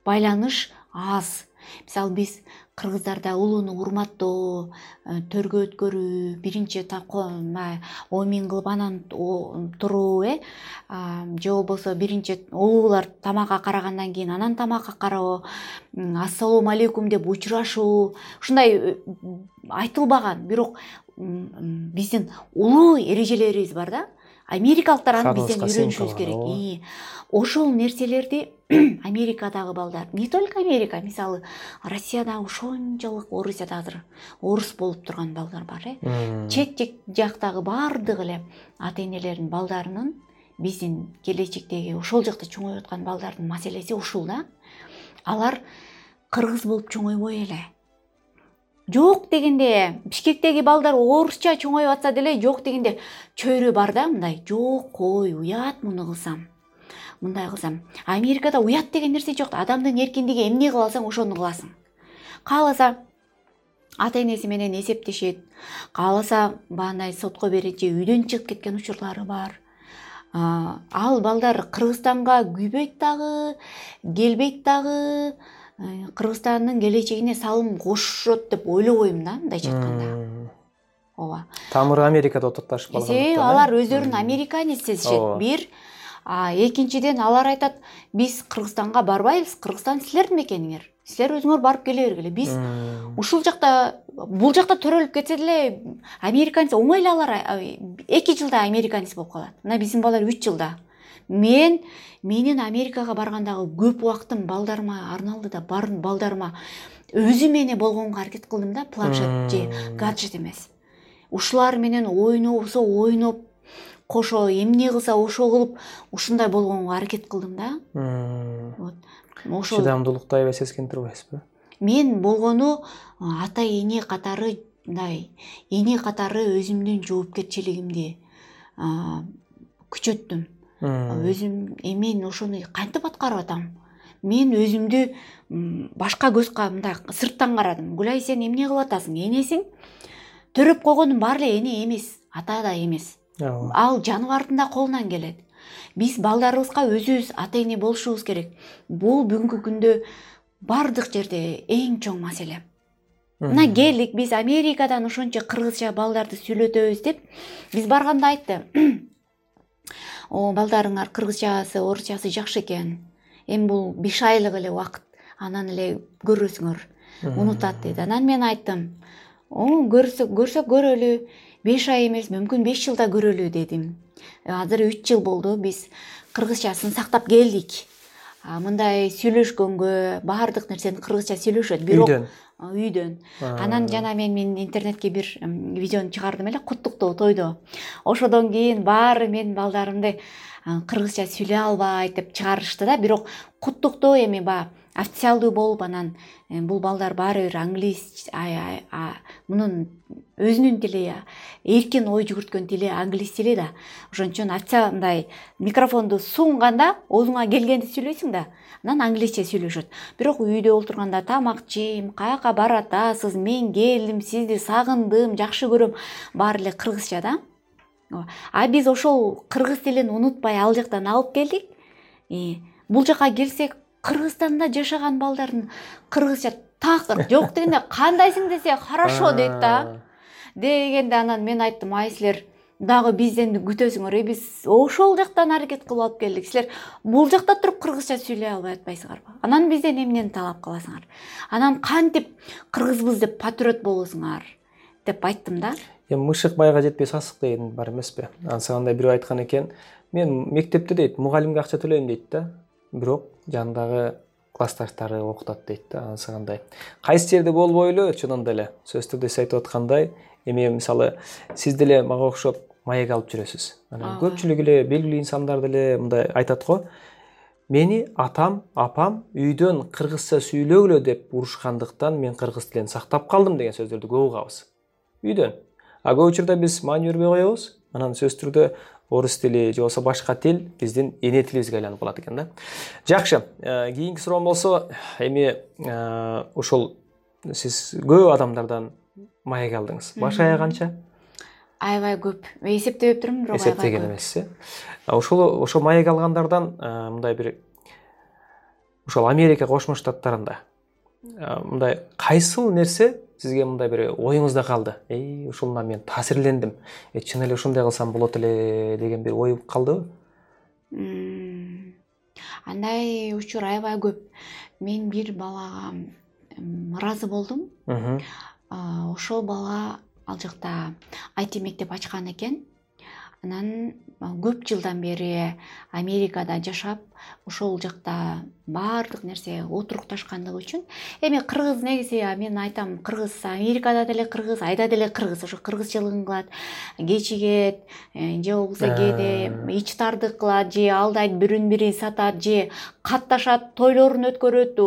байланыш аз. Мисалы биз кыргыздарда улууну урматтоо, төргө өткөрүү, биринчи он миң кылып анан туруу, э? Же болбосо биринчи улуулар тамакка карагандан кийин анан тамакка кароо, ассалому алейкум деп учурашуу, ушундай айтылбаган, бирок биздин улуу эрежелерибиз бар да. Америкалыктар аны бизден үйрөнүшүбүз керек. Ошол нерселерди Америкадагы балдар, не только Америка, мисалы Россияда ошончолук, Орусияда азыр орус болуп турган балдар бар, э? Чет жактагы баардык эле ата-энелердин балдарынын биздин келечектеги ошол жакта чоңоюп аткан балдардын маселеси ушул да. Алар кыргыз болуп чоңойбой эле. Жок дегенде Бишкектеги балдар орусча чоңоюп атса деле жок дегенде чөйрө бар да, мындай. Жок, кой, уят муну кылсам. Мындай кылсам. Америкада уят деген нерсе жок. Адамдын эркиндиги, эмне кыласаң ошону кыласың. Кааласа ата-энеси менен эсептешет. Кааласа баандай сотко берет же үйдөн чыгып кеткен учурлары бар. Ал балдар Кыргызстанга күйбөйт дагы, келбейт дагы. Кыргызстандын келечегине салым кошушот деп ойлобойм да, мындайча айтканда. Ооба. Тамыры Америкада отурташып калган. Себеби алар өздөрүн американец сезишет. Бир, экинчиден алар айтат, биз Кыргызстанга барбайбыз, Кыргызстан силердин мекениңер. Силер өзүңөр барып келе бергиле. Биз ушул жакта, бул жакта төрөлүп кетсе деле американец оңой эле алар эки жылда американец болуп калат. Мына биздин балдар үч жылда. Мен менин Америкага баргандагы көп убактым балдарыма арналды да, барын балдарыма өзүм эне болгонго аракет кылдым да, планшет же гаджет эмес. ушулар менен ойнобосо ойноп, кошо эмне кылса ошо кылып ушундай болгонго аракет кылдым да. Вот. Ошо чыдамдуулукту аябай сескенип турбайсызбы? Мен болгону ата эне катары, мындай эне катары өзүмдүн жоопкерчилигимди күчөттүм. Өзүм эмен ошону кантип аткарып атам? Мен өзүмдү башка көзкө мындай сырттан карадым. Гүлай, сен эмне кылып атасың? Энесиң. Төрөп койгонум баары эле эне эмес, ата да эмес. Ал жаныбардын да колунан келет. Биз балдарыбызга өзүбүз ата эне болушубуз керек. Бул бүгүнкү күндө бардык жерде эң чоң маселе. Мына келдик, биз Америкадан ошончо кыргызча балдарды сүйлөтөбүз деп, биз барганда айтты. О, балдарыңар кыргызчасы, орусчасы жакшы экен. Эми бул беш айлык эле убакыт, анан эле көрөсүңөр, унутат деди. Анан мен айттым, о, көрсөк, көрсөк көрөлү. беш ай эмес, мүмкүн беш жылда көрөлү дедим. Азыр үч жыл болду, биз кыргызчасын сактап келдик. Мындай сүйлөшкөнгө баардык нерсени кыргызча сүйлөшөт, бирок үйдөн. Үйдөн. Анан жана мен мен интернетке бир видеону чыгардым эле, куттуктоо тойдо. Ошодон кийин баары менин балдарымды кыргызча сүйлөй албайт деп чыгарышты да, бирок куттуктоо эми ба официалдуу болуп, анан бул балдар баары бир англис, мунун өзүнүн тили, эркин ой жүгүрткөн тили англис тили да. Ошон үчүн мындай микрофонду сунганда оозуңа келгенди сүйлөйсүң да, анан англисче сүйлөшөт. Бирок үйдө олтурганда тамак жейм, каяка баратасыз, мен келдим, сизди сагындым, жакшы көрөм, баары эле кыргызча да. А биз ошол кыргыз тилин унутпай ал жактан алып келдик. Бул жака келсек, Кыргызстанда жашаган балдардын кыргызча так жок дегенде, кандайсың десе, хорошо дейт да. Дегенде анан мен айттым, ай силер дагы бизден күтөсүңөр, биз ошол жактан аракет кылып алып келдик. Силер бул жакта туруп кыргызча сүйлөй албай атпайсыңарбы? Анан бизден эмнени талап кыласыңар? Анан кантип кыргызбыз деп патриот болосуңар деп айттым да. Эми мышык майга жетпей сасык деген бар эмеспи? Ансагандай бирөө айткан экен, мен мектепте дейт, мугалимге акча төлөйм дейт да. Бирок жандагы классташтары окутат дейт да, ансагандай. Кайсы жерде болбойлу, чынында эле сөз түрдө сиз айтып аткандай, эми мисалы сиз деле мага окшоп маек алып жүрөсүз. Анан көпчүлүк эле белгилүү инсандар деле мындай айтат го. Мени атам, апам үйдөн кыргызча сүйлөгүлө деп урушкандыктан мен кыргыз тилин сактап калдым деген сөздөрдү көп угабыз. Үйдөн. А көп учурда биз маани бербей коебуз. Анан сөз түрдө орус тили же болбосо башка тил биздин эне тилибизге айланып калат экен да. Жакшы, кийинки суроом болсо, эми ошол сиз көп адамдардан маек алдыңыз. Баш ая канча? Аябай көп. Эсептеп турмун, бирок аябай көп. Эсептеген эмес. Ошол ошо маек алгандардан мындай бир ошол Америка Кошмо Штаттарында мындай кайсыл нерсе сизге мындай бир оюңузда калды? Эй, ушундан мен таасирлендим. Э, чын эле ушундай кылсам болот эле деген бир ой калдыбы? Андай учур аябай көп. Мен бир балага ыраазы болдум. Ошол бала ал жакта ай ти мектеп ачкан экен. Анан көп жылдан бери Америкада жашап, ошол жакта баардык нерсе отурукташкандыгы үчүн, эми кыргыз негизи мен айтам, кыргыз Америкада деле кыргыз, айда деле кыргыз, ошо кыргызчылыгын кылат, кечигет, же болбосо кээде ич тардык кылат, же алдайт, бирин бири сатат, же катташат, тойлорун өткөрөт,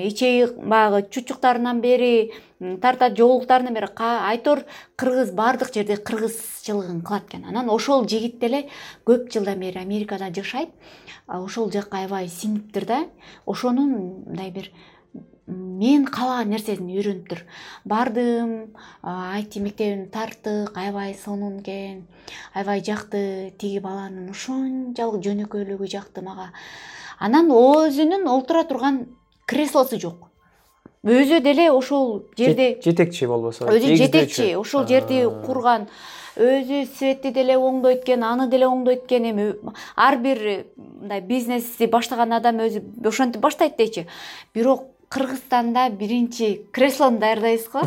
ичеги баягы чучуктарынан бери тартат, жоолуктарынан бери айтор кыргыз баардык жерде кыргызчылыгын кылат экен. Анан ошол жигит деле көп жылдан бери Америкада жашайт. Ошол жакка аябай сиңиптир да. Ошонун мындай бир мен каалаган нерсесин үйрөнүптүр. Бардым, ай ти мектебин тарттык, аябай сонун экен, аябай жакты, тиги баланын ошончалык жөнөкөйлүгү жакты мага. Анан өзүнүн олтура турган креслосу жок. Өзү деле ошол жерде жетекчи болбосо. Өзү жетекчи, ошол жерди курган. Өзү светти деле оңдойт экен, аны деле оңдойт экен. Эми ар бир мындай бизнести баштаган адам өзү ошентип баштайт дейчи. Бирок Кыргызстанда биринчи креслону даярдайбыз го.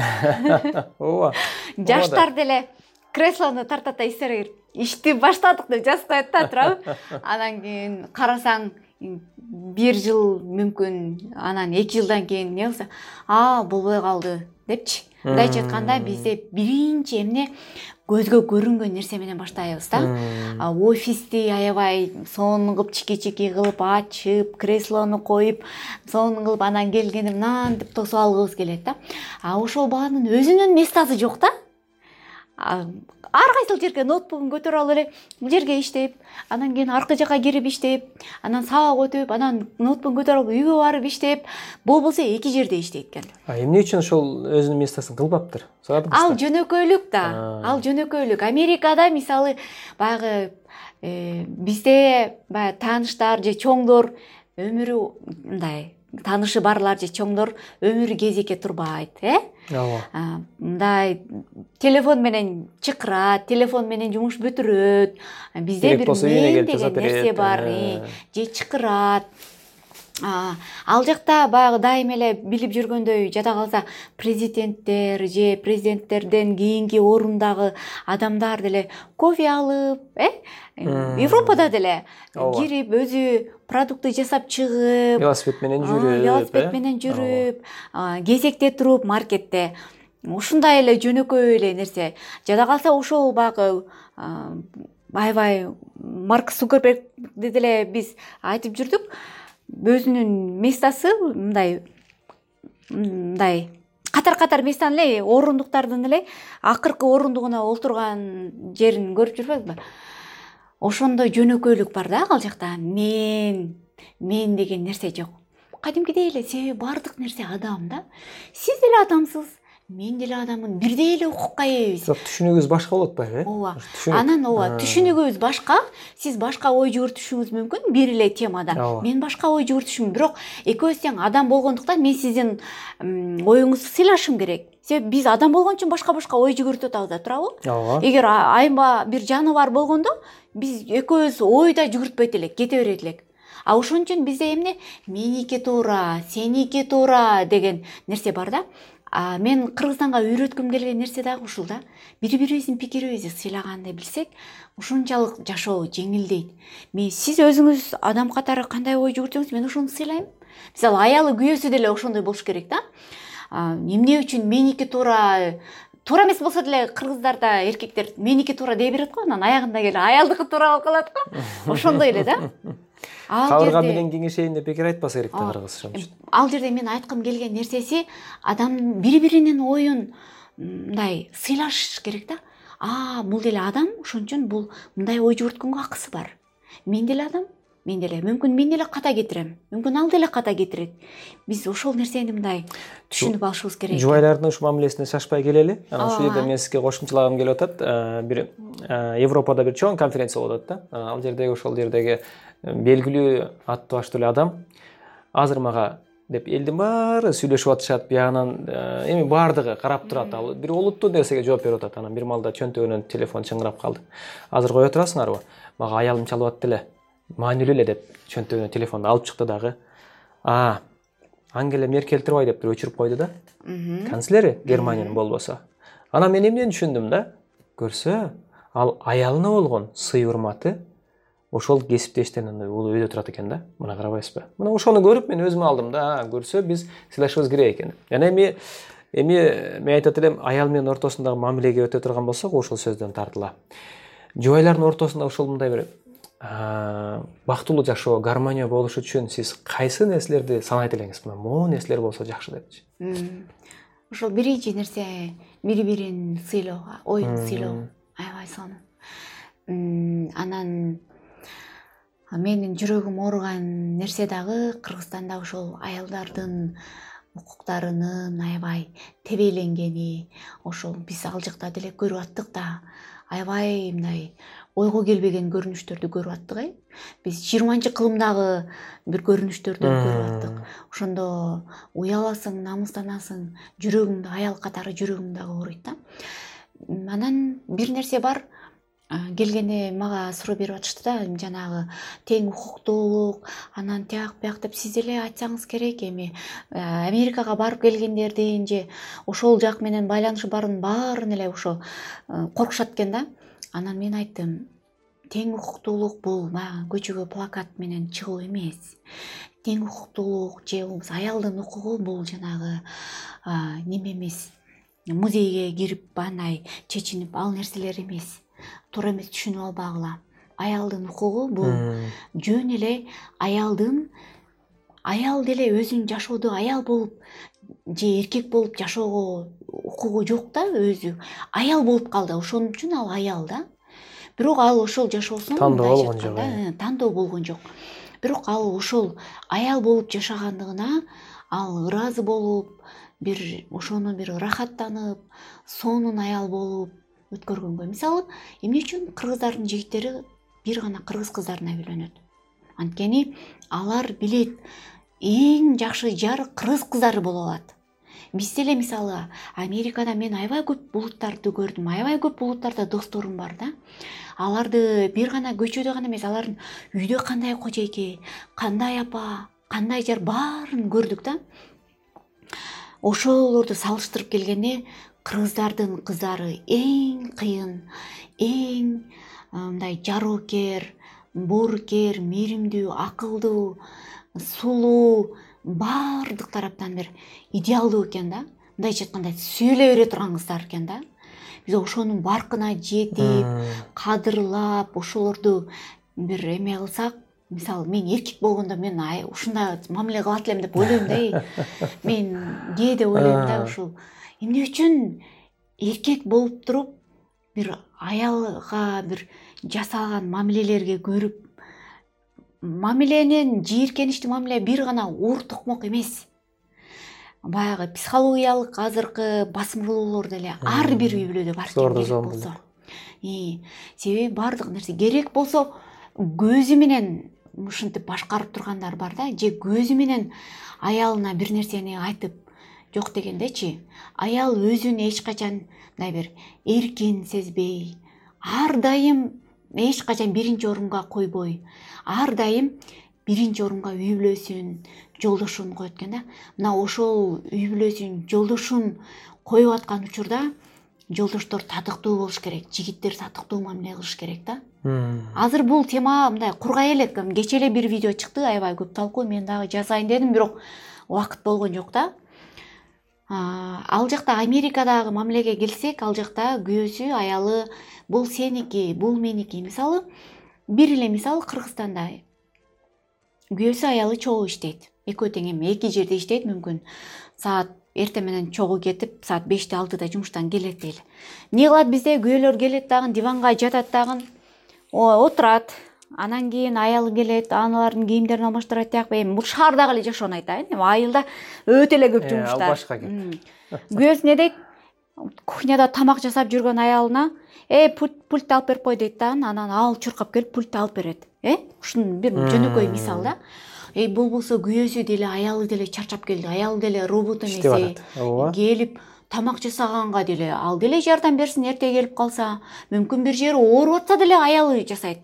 Ооба. Жаштар деле креслону тартат да истер. Ишти баштадык деп жазып коет да, турабы. Анан кийин карасаң бир жыл мүмкүн, анан эки жылдан кийин эмне кылса, а болбой калды депчи. Мындайча айтканда бизде биринчи эмне көзгө көрүнгөн нерсе менен баштайбыз да. Офисти аябай сонун кылып чики-чики кылып ачып, креслону коюп, сонун кылып анан келгенде мынан деп тосуп алгыбыз келет да. А ошол баланын өзүнүн местасы жок да. Ар кайсыл жерге ноутбугун көтөрүп алып эле бул жерге иштеп, анан кийин аркы жака кирип иштеп, анан сабак өтүп, анан ноутбугун көтөрүп алып үйгө барып иштеп, болбосо эки жерде иштейт экен. А эмне үчүн ошол өзүнүн местасын кылбаптыр? Сурадыңызбы? Ал жөнөкөйлүк да. Ал жөнөкөйлүк. Америкада мисалы баягы бизде баягы тааныштар же чоңдор өмүрү мындай, таанышы барлар же чоңдор өмүрү кезекке турбайт, э? Ооба. Мындай телефон менен чакырат, телефон менен жумуш бүтүрөт. Бизде бир мен деген нерсе бар, же чакырат. Ал жакта баягы дайым эле билип жүргөндөй, жада калса президенттер же президенттерден кийинки орундагы адамдар деле кофе алып, э? Европада деле кирип өзү продукты жасап чыгып, велосипед менен жүрүп, велосипед менен жүрүп, кезекте туруп маркетте. Ушундай эле жөнөкөй эле нерсе. Жада калса ошол баягы аябай Марк Цукербергди деле биз айтып жүрдүк. Өзүнүн местасы мындай мындай катар-катар местан эле орундуктардын эле акыркы орундугуна олтурган жерин көрүп жүрбөйбүзбү? Ошондой жөнөкөйлүк бар да ал жакта. Мен, мен деген нерсе жок. Кадимкидей эле, себеби бардык нерсе адам да. Сиз деле адамсыз, мен деле адаммын. Бирдей эле укукка ээбиз. Бирок түшүнүгүбүз башка болот байбы, э? Ооба. Анан ооба, түшүнүгүбүз башка, сиз башка ой жүгүртүшүңүз мүмкүн бир эле темада. Мен башка ой жүгүртүшүм, бирок экөөбүз тең адам болгондуктан мен сиздин оюңузду сыйлашым керек. Себеби биз адам болгон үчүн башка-башка ой жүгүртүп атабыз да, туурабы? Ооба. Эгер айымба бир жаныбар болгондо, биз экөөбүз ой да жүгүртпөйт элек, кете берет элек. А ошон үчүн бизде эмне? Меники туура, сеники туура деген нерсе бар да. А мен Кыргызстанга үйрөткүм келген нерсе дагы ушул да. Бири-бирибиздин пикирибизди сыйлаганды билсек, ушунчалык жашоо жеңилдейт. Мен сиз өзүңүз адам катары кандай ой жүгүртсөңүз, мен ошону сыйлайм. Мисалы, аялы күйөөсү деле ошондой болуш керек да. Эмне үчүн меники туура, туура эмес болсо деле кыргыздарда эркектер меники туура дей берет го, анан аягында келе аялдыкы туура болуп калат го. Ошондой эле да. Кабырга менен кеңешейин деп бекер айтпаса керек да кыргыз ошон үчүн. Ал жерде мен айткым келген нерсеси, адам бири-биринин оюн мындай сыйлаш керек да. А, бул деле адам, ошон үчүн бул мындай ой жүгүрткөнгө акысы бар. Мен деле адам, мен деле мүмкүн мен деле ката кетирем, мүмкүн ал деле ката кетирет. Биз ошол нерсени мындай түшүнүп алышыбыз керек. Жубайлардын ушу мамилесине шашпай келели. Ушул жерде мен сизге кошумчалагым келип атат. Бир Европада бир чоң конференция болуп атат да. Ал жердеги ошол жердеги белгилүү аттуу баштуу эле адам азыр мага деп элдин баары сүйлөшүп атышат, биягынан эми баардыгы карап турат. Ал бир олуттуу нерсеге жооп берип атат. Анан бир маалда чөнтөгүнөн телефон чыңырап калды. Азыр кое турасыңарбы? Мага аялым чалып атты эле. Маанилүү эле деп чөнтөгүнөн телефонду алып чыкты дагы. А, Ангела Меркель турбай деп туруп өчүрүп койду да. Канцлери Германиянын болбосо. Анан мен эмнени түшүндүм да? Көрсө, ал аялына болгон сый урматы ошол кесиптештеринен улуу үйдө турат экен да. Мына карабайсызбы? Мына ошону көрүп мен өзүм алдым да. Көрсө, биз сыйлашыбыз керек экен. Жана эми эми мен айтат элем, аял менен ортосундагы мамилеге өтө турган болсок, ошол сөздөн тартыла. Жубайлардын ортосунда ошол мындай бир бактылуу жашоо, гармония болуш үчүн сиз кайсы нерселерди санайт элеңиз? Мына могу нерселер болсо жакшы депчи. Ошол биринчи нерсе бири-бирин сыйлоо, оюн сыйлоо аябай сонун. Анан менин жүрөгүм ооруган нерсе дагы Кыргызстанда ошол аялдардын укуктарынын аябай тебеленгени, ошол биз ал жакта деле көрүп аттык да. Аябай мындай ойго келбеген көрүнүштөрдү көрүп аттык, э? Биз жыйырманчы кылымдагы бир көрүнүштөрдү көрүп аттык. Ошондо уяласың, намыстанасың, жүрөгүңдү аял катары жүрөгүң дагы ооруйт да. Анан бир нерсе бар. Келгенде мага суроо берип атышты да, жанагы тең укуктуулук, анан тияк бияк деп сиз эле айтсаңыз керек. Эми Америкага барып келгендердин же ошол жак менен байланышы барын баарын эле ошо коркушат экен да. Анан мен айттым, тең укуктуулук бул баягы көчөгө плакат менен чыгуу эмес. Тең укуктуулук же болбосо аялдын укугу бул жанагы неме эмес, музейге кирип андай чечинип ал нерселер эмес. Туура эмес түшүнүп албагыла. Аялдын укугу бул жөн эле аялдын аял деле өзүн жашоодо аял болуп же эркек болуп жашоого укугу жок да, өзү аял болуп калды. Ошон үчүн ал аял да. Бирок ал ошол жашоосун тандоо болгон жок. Тандоо болгон жок. Бирок ал ошол аял болуп жашагандыгына ал ыраазы болуп, бир ошону бир ырахаттанып, сонун аял болуп өткөргөнгө. Мисалы, эмне үчүн кыргыздардын жигиттери бир гана кыргыз кыздарына үйлөнөт? Анткени алар билет эң жакшы жар кыргыз кыздары боло алат. Биз деле мисалы Америкада мен аябай көп булуттарды көрдүм. Аябай көп булуттарда досторум бар да. Аларды бир гана көчөдө гана эмес, алардын үйдө кандай кожойке, кандай апа, кандай жар баарын көрдүк да. Ошолорду салыштырып келгенде кыргыздардын кыздары эң кыйын, эң мындай жароокер, боорукер, мээримдүү, акылдуу, сулуу, баардык тараптан бир идеалдуу экен да. Мындайча айтканда сүйлөй бере турган кыздар экен да. Биз ошонун баркына жетип, кадырлап, ошолорду бир эме кылсак, мисалы мен эркек болгондо мен ушундай мамиле кылат элем деп ойлойм да. Мен кээде ойлойм да, ушул эмне үчүн эркек болуп туруп бир аялга бир жасалган мамилелерге көрүп, мамиленин жийиркеничти мамиле бир гана уур токмок эмес. Баягы психологиялык азыркы басымдуулор деле ар бир үй бүлөдө бар керек болсо. И себеби баардык нерсе керек болсо көзү менен ушинтип башкарып тургандар бар да, же көзү менен аялына бир нерсени айтып жок дегендечи. Аял өзүн эч качан мындай бир эркин сезбей, ар дайым эч качан биринчи орунга койбой, ар дайым биринчи орунга үй бүлөсүн, жолдошун коет экен да. Мына ошол үй бүлөсүн, жолдошун коюп аткан учурда жолдоштор татыктуу болуш керек, жигиттер татыктуу мамиле кылыш керек да. Азыр бул тема мындай кургай элек. Кече эле бир видео чыкты, аябай көп талкуу, мен дагы жасайын дедим, бирок убакыт болгон жок да. Ал жакта Америкадагы мамилеге келсек, ал жакта күйөөсү, аялы бул сеники, бул меники. Мисалы, бир эле мисал Кыргызстанда күйөөсү, аялы чогуу иштейт. Экөө тең эми эки жерде иштейт, мүмкүн саат эртең менен чогуу кетип, саат беште алтыда жумуштан келет дейли. Эмне кылат бизде? Күйөөлөр келет дагы, диванга жатат дагы, отурат. Анан кийин аялы келет, аналардын кийимдерин алмаштырат тияк. Эми бул шаардагы эле жашоону айтайын. Эми айылда өтө эле көп жумуштар. Ал башка кеп. Күйөөсү не дейт? Кухняда тамак жасап жүргөн аялына, "Э, пульт алып берип кой" дейт да. Анан ал чуркап келип пультты алып берет. Э? Ушун бир жөнөкөй мисал да. Эй, болбосо күйөөсү деле, аялы деле чарчап келди, аялы деле робот эмес. Келип тамак жасаганга деле ал деле жардам берсин, эртең келип калса, мүмкүн бир жери ооруп атса деле аялы жасайт.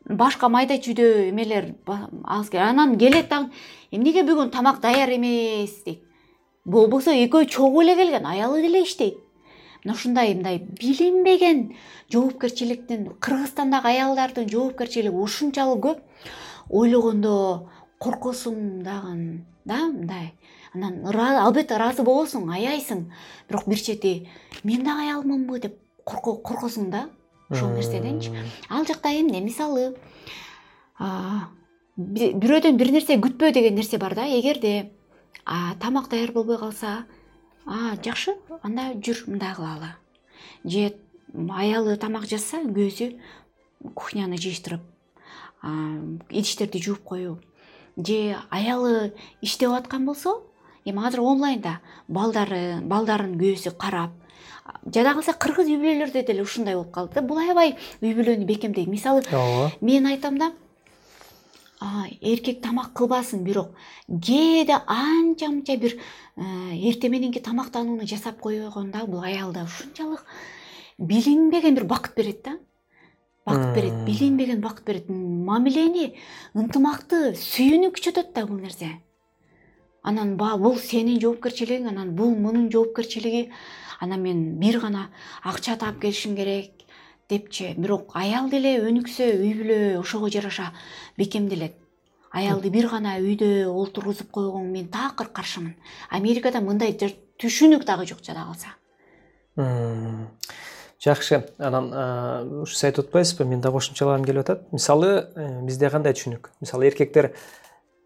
Башка майда чүйдө эмелер аз келет. Анан келет дагы, "Эмнеге бүгүн тамак даяр эмес" дейт. Болбосо экөө чогуу эле келген, аялы деле иштейт. Мына ушундай мындай билинбеген жоопкерчиликтин, Кыргызстандагы аялдардын жоопкерчилиги ушунчалык көп. Ойлогондо коркосуң дагы, да, мындай. Анан албетте ыраазы болосуң, аяйсың, бирок бир чети мен дагы аялмынбы деп коркосуң да. Ошол нерседенчи. Ал жакта эмне? Мисалы, бирөөдөн бир нерсе күтпөө деген нерсе бар да. Эгерде тамак даяр болбой калса, а жакшы, анда жүр мындай кылалы. Же аялы тамак жасса, күйөөсү кухняны жыйыштырып, идиштерди жууп коюп. Же аялы иштеп аткан болсо, эми азыр онлайнда балдары, балдарын күйөөсү карап. Жада калса кыргыз үй бүлөлөрдө деле ушундай болуп калды. Бул аябай үй бүлөнү бекемдейт. Мисалы, мен айтам да, эркек тамак кылбасын, бирок кээде анча-мынча бир эртең мененки тамактанууну жасап койгонда бул аялда ушунчалык билинбеген бир бакыт берет да. Бакыт берет, билинбеген бакыт берет. Мамилени, ынтымакты, сүйүүнү күчөтөт да бул нерсе. Анан бул сенин жоопкерчилигиң, анан бул мунун жоопкерчилиги. Анан мен бир гана акча таап келишим керек депчи. Бирок аял деле өнүксө, үй бүлө ошого жараша бекемделет. Аялды бир гана үйдө олтургузуп койгон мен такыр каршымын. Америкада мындай түшүнүк дагы жок жада калса. Жакшы. Анан ушу сиз айтып атпайсызбы? Мен да кошумчалагым келип атат. Мисалы, бизде кандай түшүнүк? Мисалы, эркектер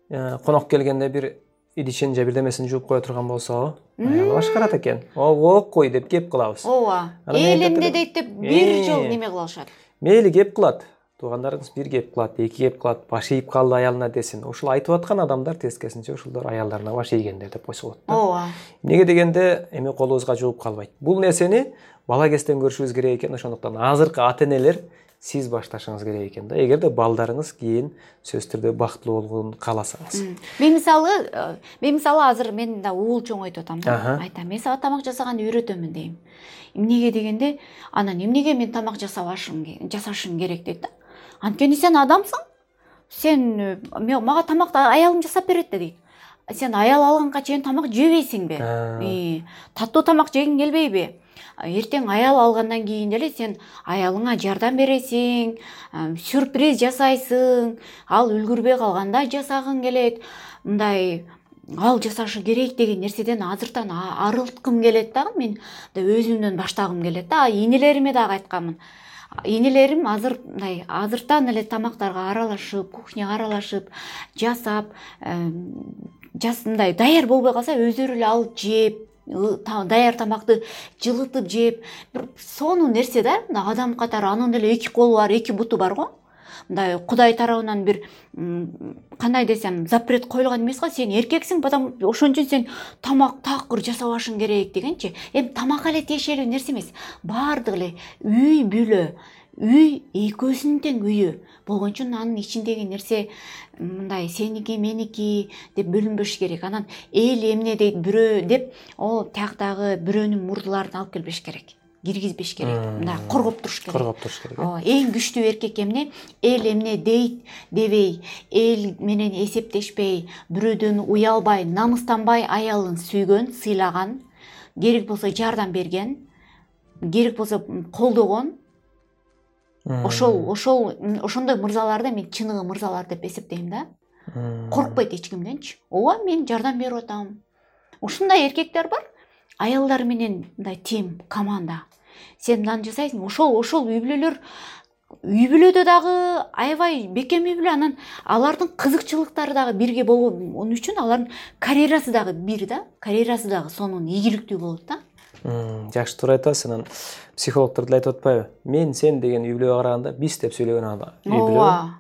конок келгенде бир идишин же бирдемесин жууп кое турган болсо, аялы башкарат экен. Ого кой деп кеп кылабыз. Ооба. Эл эмне дейт деп бир жол неме кылышат. Мейли кеп кылат. Туугандарыңыз бир кеп кылат, эки кеп кылат, баш ийип калды аялына десин. Ушул айтып аткан адамдар тескерисинче ушулдар аялдарына баш ийгендер деп койсо болот да. Ооба. Эмнеге дегенде эми колубузга жууп калбайт. Бул нерсени бала кезден көрүшүбүз керек экен. Ошондуктан азыркы ата-энелер сиз башташыңыз керек экен да. Эгерде балдарыңыз кийин сөзсүз түрдө бактылуу болгонун кааласаңыз. Мен мисалы, мен мисалы азыр мен да уул чоңойтуп атам да. Айтам, мен сага тамак жасаганды үйрөтөмүн дейм. Эмнеге дегенде, анан эмнеге мен тамак жасабашым, жасашым керек дейт да. Анткени сен адамсың. Сен мага тамакты аялым жасап берет дейт. Сен аял алганга чейин тамак жебейсиңби? Таттуу тамак жегиң келбейби? Эртең аял алгандан кийин деле сен аялыңа жардам бересиң, сюрприз жасайсың, ал үлгүрбөй калганда жасагың келет. Мындай ал жасашы керек деген нерседен азыртан арылткым келет да. Мен да өзүмдөн баштагым келет да. Энелериме дагы айтканмын. Энелерим азыр мындай азыртан эле тамактарга аралашып, кухняга аралашып, жасап, жасындай даяр болбой калса өздөрү эле алып жеп, даяр тамакты жылытып жеп, бир сонун нерсе да. Адам катары анын эле эки колу бар, эки буту бар го. Мындай Кудай тарабынан бир кандай десем, запрет коюлган эмес го. Сен эркексиң, потому ошон үчүн сен тамак такыр жасабашың керек дегенчи. Эми тамак эле тиешелүү нерсе эмес. Бардык эле үй бүлө, үй экөөсүнүн тең үйү болгон үчүн анын ичиндеги нерсе мындай сеники, меники деп бөлүнбөш керек. Анан эл эмне дейт бирөө деп, о тияктагы бирөөнүн мурдуларын алып келбеш керек. Киргизбеш керек. Мындай коргоп туруш керек. Коргоп туруш керек. Ооба, эң күчтүү эркек эмне? Эл эмне дейт дебей, эл менен эсептешпей, бирөөдөн уялбай, намыстанбай аялын сүйгөн, сыйлаган, керек болсо жардам берген, керек болсо колдогон. Ошол, ошол, ошондой мырзаларды мен чыныгы мырзалар деп эсептейм да. Коркпойт эч кимденчи. Ооба, мен жардам берип атам. Ушундай эркектер бар. Аялдар менен мындай тим, команда. Сен мынаны жасайсың. Ошол, ошол үй бүлөлөр үй бүлөдө дагы аябай бекем үй бүлө, анан алардын кызыкчылыктары дагы бирге болгон үчүн алардын карьерасы дагы бир да. Карьерасы дагы сонун ийгиликтүү болот да. Жакшы, туура айтасыз. Анан психологдор деле айтып атпайбы? Мен сен деген үй бүлөгө караганда биз деп сөйлөгөн үй бүлө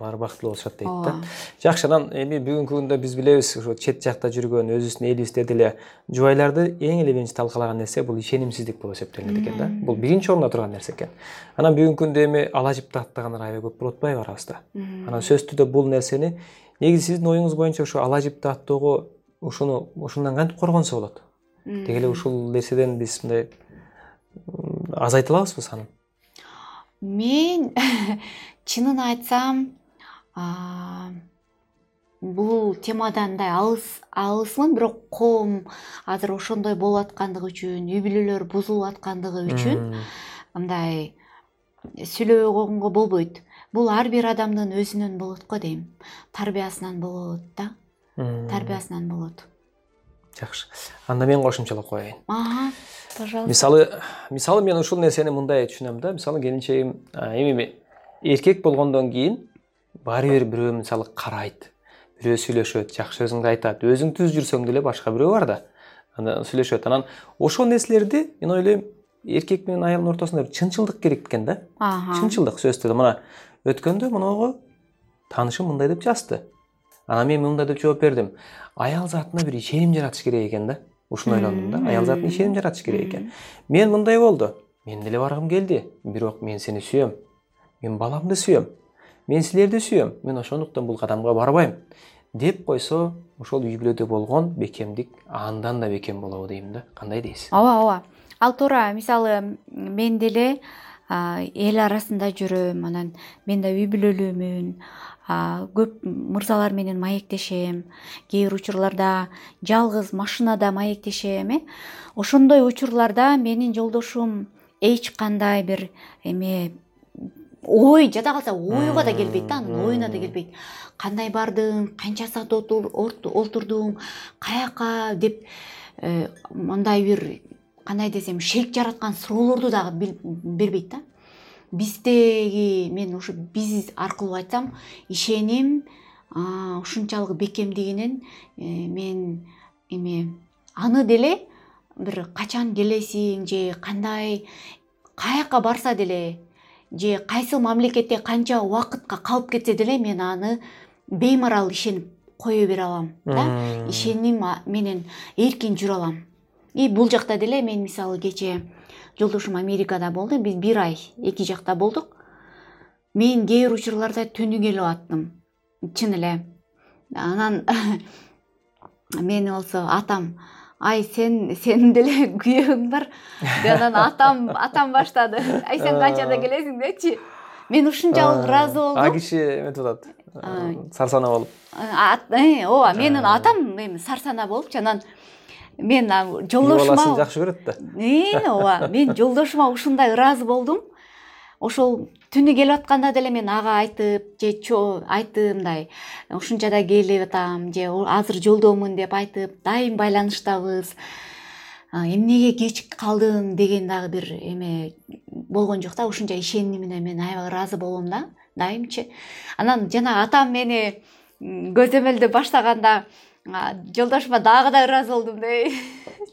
алар бактылуу болушат дейт да. Жакшы, анан эми бүгүнкү күндө биз билебиз, ошо чет жакта жүргөн, өзүбүздүн элибизде деле жубайларды эң эле биринчи талкалаган нерсе бул ишенимсиздик болуп эсептелет экен да. Бул биринчи орунда турган нерсе экен. Анан бүгүнкү күндө эми ала жипти аттагандар аябай көп болуп атпайбы арабызда? Анан сөзсүз түрдө бул нерсени негизи сиздин оюңуз боюнча ошо ала жипти аттоого ушуну ушундан кантип коргонсо болот? Деги эле ушул нерседен биз мындай азайта алабызбы санын? Мен чынын айтсам, бул темадан мындай алыс алысмын, бирок коом азыр ошондой болуп аткандыгы үчүн, үй бүлөлөр бузулуп аткандыгы үчүн мындай сүйлөгөнгө болбойт. Бул ар бир адамдын өзүнөн болот го дейм. Тарбиясынан болот да. Тарбиясынан болот. Жакшы. Анда мен кошумчалап коеюн. Ага, пожалуйста. Мисалы, мисалы мен ушул нерсени мындай түшүнөм да. Мисалы келинчегим эми эркек болгондон кийин баары бир бирөө мисалы карайт. Бирөө сүйлөшөт, жакшы сөзүңдү айтат. Өзүң түз жүрсөң деле башка бирөө бар да. Анда сүйлөшөт. Анан ошол нерселерди мен ойлойм, эркек менен аялдын ортосунда бир чынчылдык керек экен да. Чынчылдык сөздө мына өткөндө мыного таанышым мындай деп жазды. Анан мен мындай деп жооп бердим. Аял затына бир ишеним жаратыш керек экен да. Ушуну ойлондум да. Аял затына ишеним жаратыш керек экен. Мен мындай болду. Мен деле баргым келди. Бирок мен сени сүйөм. Мен баламды сүйөм. Мен силерди сүйөм. Мен ошондуктан бул кадамга барбайм деп койсо, ошол үй бүлөдө болгон бекемдик андан да бекем болобу дейм да. Кандай дейсиз? Ооба, ооба. Ал туура. Мисалы, мен деле эл арасында жүрөм, анан мен да үй бүлөлүүмүн. Көп мырзалар менен маектешем, кээ бир учурларда жалгыз машинада маектешем. э Ошондой учурларда менин жолдошум эч кандай бир эме ой жада калса ойго да келбейт да, анын оюна да келбейт. Кандай бардың, канча саат отурдуң, каяка деп мындай бир кандай десем шек жараткан суроолорду дагы бербейт да. Биздеги мен ушу биз аркылуу айтсам ишеним ушунчалык бекемдигинен мен эме аны деле бир качан келесиң же кандай каяка барса деле же кайсы мамлекетте канча убакытка калып кетсе деле мен аны беймарал ишенип кое бере алам да. Ишеним менен эркин жүрө алам. И бул жакта деле мен мисалы кече жолдошум Америкада болду. Биз бир ай эки жакта болдук. Мен кээ бир учурларда түнү келип аттым. Чын эле. Анан мени болсо атам ай сен сенин деле күйөөң бар. Анан атам атам баштады. Ай сен канчада келесиң депчи. Мен ушунчалык ыраазы болдум. А киши эметип атат. Сарсана болуп. Ооба, менин атам эми сарсана болупчу. Анан мен жолдошума баласын жакшы көрөт да. Э, ооба, мен жолдошума ушундай ыраазы болдум. Ошол түнү келип атканда деле мен ага айтып, же чо айтып мындай ушунчада келип атам, же азыр жолдомун деп айтып, дайым байланыштабыз. Эмнеге кеч калдың деген дагы бир эме болгон жок да. Ушунча ишенимине мен аябай ыраазы болом да, дайымчы. Анан жана атам мени көзөмөлдөп баштаганда жолдошума дагы да ыраазы болдум дей.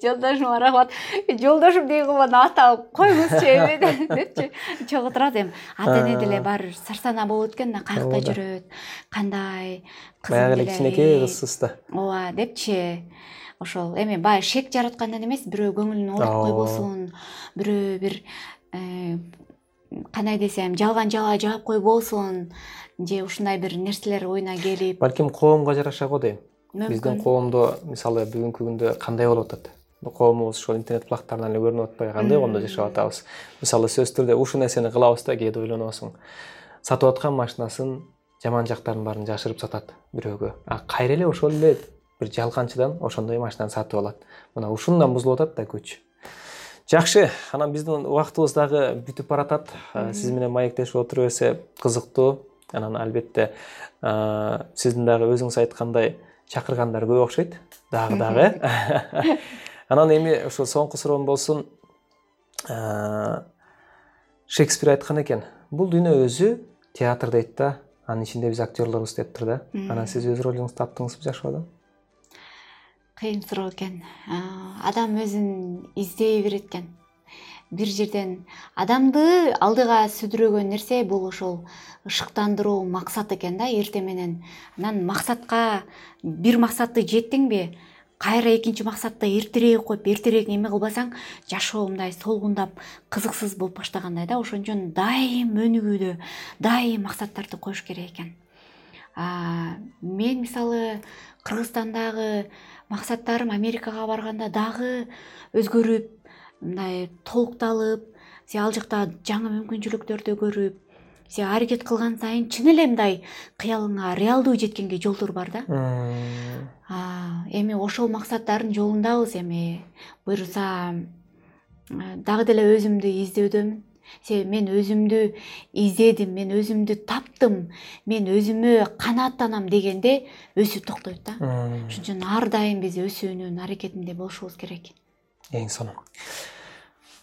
Жолдошума рахмат. Жолдошум деген мана ата койгузчу эми депчи. Чогуу турат эми. Ата эне деле баары сарсана болуп өткөн да, каякта жүрөт, кандай кызым баягы эле кичинекей кызсыз да. Ооба депчи. Ошол эми баягы шек жараткандан эмес, бирөө көңүлүн оорутуп койбосун, бирөө бир кандай десем жалган жала жаап койбосун, же ушундай бир нерселер оюна келип. Балким коомго жараша го дейм. Биздин коомдо мисалы бүгүнкү күндө кандай болуп атат? Коомубуз ошол интернет булактарынан эле көрүнүп атпайбы, кандай коомдо жашап атабыз? Мисалы сөзсүз түрдө ушул нерсени кылабыз да, кээде ойлоносуң. Сатып аткан машинасын жаман жактарын баарын жашырып сатат бирөөгө. А кайра эле ошол эле бир жалганчыдан ошондой машинаны сатып алат. Мына ушундан бузулуп атат да күч. Жакшы, анан биздин убактыбыз дагы бүтүп баратат. Сиз менен маектешип отуруп эсе кызыктуу. Анан албетте сиздин дагы өзүңүз айткандай чакыргандар көп окшойт. Дагы дагы. Анан эми ошол соңку суроом болсун. Шекспир айткан экен, бул дүйнө өзү театр дейт да, анын ичинде биз актерлорбуз дептир да. Анан сиз өз ролуңузду таптыңызбы, жакшы болду? Кыйын суроо экен. Адам өзүн издей берет экен. Бир жерден адамды алдыга сүдүрөгөн нерсе бул ошол ышыктандыруу максат экен да, эртең менен. Анан максатка бир максатты жеттиңби, кайра экинчи максатты эртерээк коюп, эртерээк неме кылбасаң, жашоо мындай солгундап, кызыксыз болуп баштагандай да. Ошон үчүн дайым өнүгүүдө, дайым максаттарды коюш керек экен. Мен мисалы Кыргызстандагы максаттарым Америкага барганда дагы өзгөрүп, мындай толукталып, се ал жакта жаңы мүмкүнчүлүктөрдү көрүп, се аракет кылган сайын чын эле мындай кыялыңа реалдуу жеткенге жолдор бар да. Эми ошол максаттардын жолундабыз. Эми буюрса дагы деле өзүмдү издөдөмүн. Се мен өзүмдү издедим, мен өзүмдү таптым, мен өзүмө канааттанам дегенде өсүү токтойт да. Ошон үчүн ар дайым биз өсүүнүн аракетинде болушубуз керек. Эң сонун.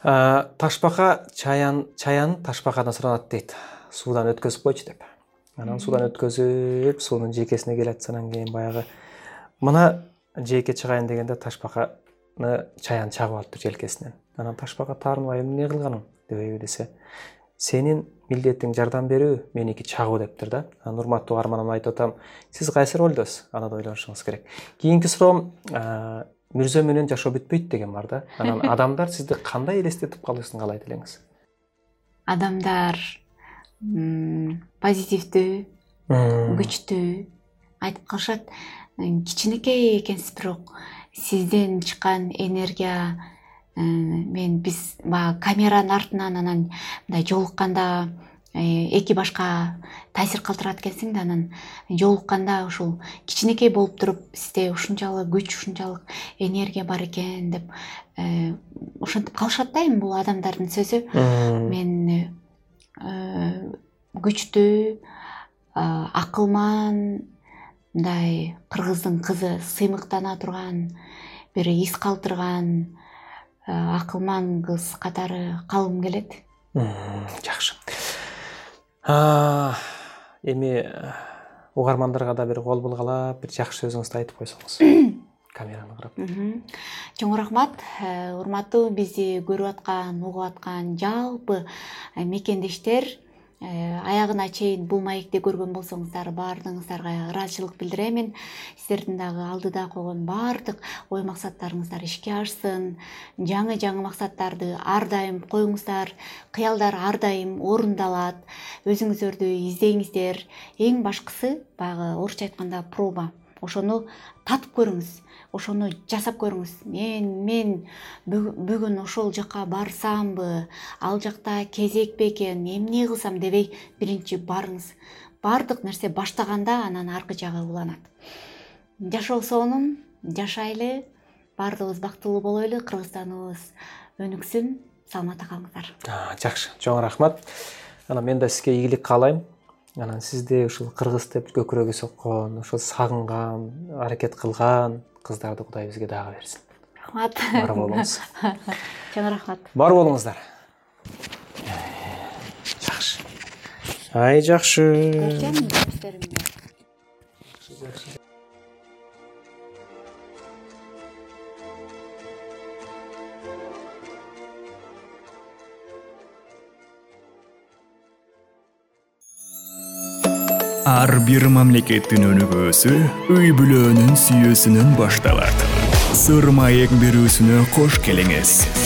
Ташбака чаян чаян ташбакадан суранат дейт. Суудан өткөзүп койчу деп. Анан суудан өткөзүп, суунун жейкесине келет, анан кийин баягы мына жейке чыгайын дегенде ташбаканы чаян чагып алыптыр желкесинен. Анан ташбака таарынбай эмне кылганың дебейби десе, сенин милдетиң жардам берүү, меники чагуу дептир да. Анан урматтуу угарманам айтып атам, сиз кайсы ролдосуз? Анан ойлонушуңуз керек. Кийинки суроом, Мирзө менен жашоо бүтпөйт деген бар да. Анан адамдар сизди кандай элестетип калышын каалайт элеңиз? Адамдар позитивдүү, күчтүү айтып калышат. Кичинекей экенсиз, бирок сизден чыккан энергия, мен биз баягы камеранын артынан анан мындай жолукканда эки башка таасир калтырат экенсиң да, анан жолукканда ушул кичинекей болуп туруп сизде ушунчалык күч, ушунчалык энергия бар экен деп ошентип калышат да. Эми бул адамдардын сөзү. Мен күчтүү, акылман, мындай кыргыздын кызы, сыймыктана турган, бир из калтырган, акылман кыз катары калгым келет. Жакшы. Эми угармандарга да бир кол булгалап, бир жакшы сөзүңүздү айтып койсоңуз. Камераны карап. Чоң рахмат. Урматтуу бизди көрүп аткан, угуп аткан жалпы мекендештер, аягына чейин бул маекти көргөн болсоңуздар, баардыгыңыздарга ыраазычылык билдирем. Сиздердин дагы алдыда койгон баардык ой максаттарыңыздар ишке ашсын. Жаңы-жаңы максаттарды ар дайым коюңуздар. Кыялдар ар дайым орундалат. Өзүңүздөрдү издеңиздер. Эң башкысы баягы орусча айтканда проба. Ошону татып көрүңүз. Ошону жасап көрүңүз. Мен мен бүгүн ошол жака барсамбы, ал жакта кезек бекен, эмне кылсам дебей биринчи барыңыз. Бардык нерсе баштаганда анан аркы жагы уланат. Жашоо сонун, жашайлы, бардыгыбыз бактылуу болойлу, Кыргызстаныбыз өнүксүн, саламатта калыңыздар. Жакшы, чоң рахмат. Анан мен да сизге ийгилик каалайм. Анан сизди ушул кыргыз деп көкүрөгү соккон, ошол сагынган, аракет кылган кыздарды Кудай бизге дагы берсин. Рахмат. Бар болуңуз. Чоң рахмат. Бар болуңуздар. Жакшы. Ай, жакшы. Көрчөм дөрүстөрүмдө. Жакшы. Ар бир мамлекеттин өнүгүүсү үй бүлөнүн сүйүүсүнөн башталат. Сыр маек берүүсүнө кош келиңиз.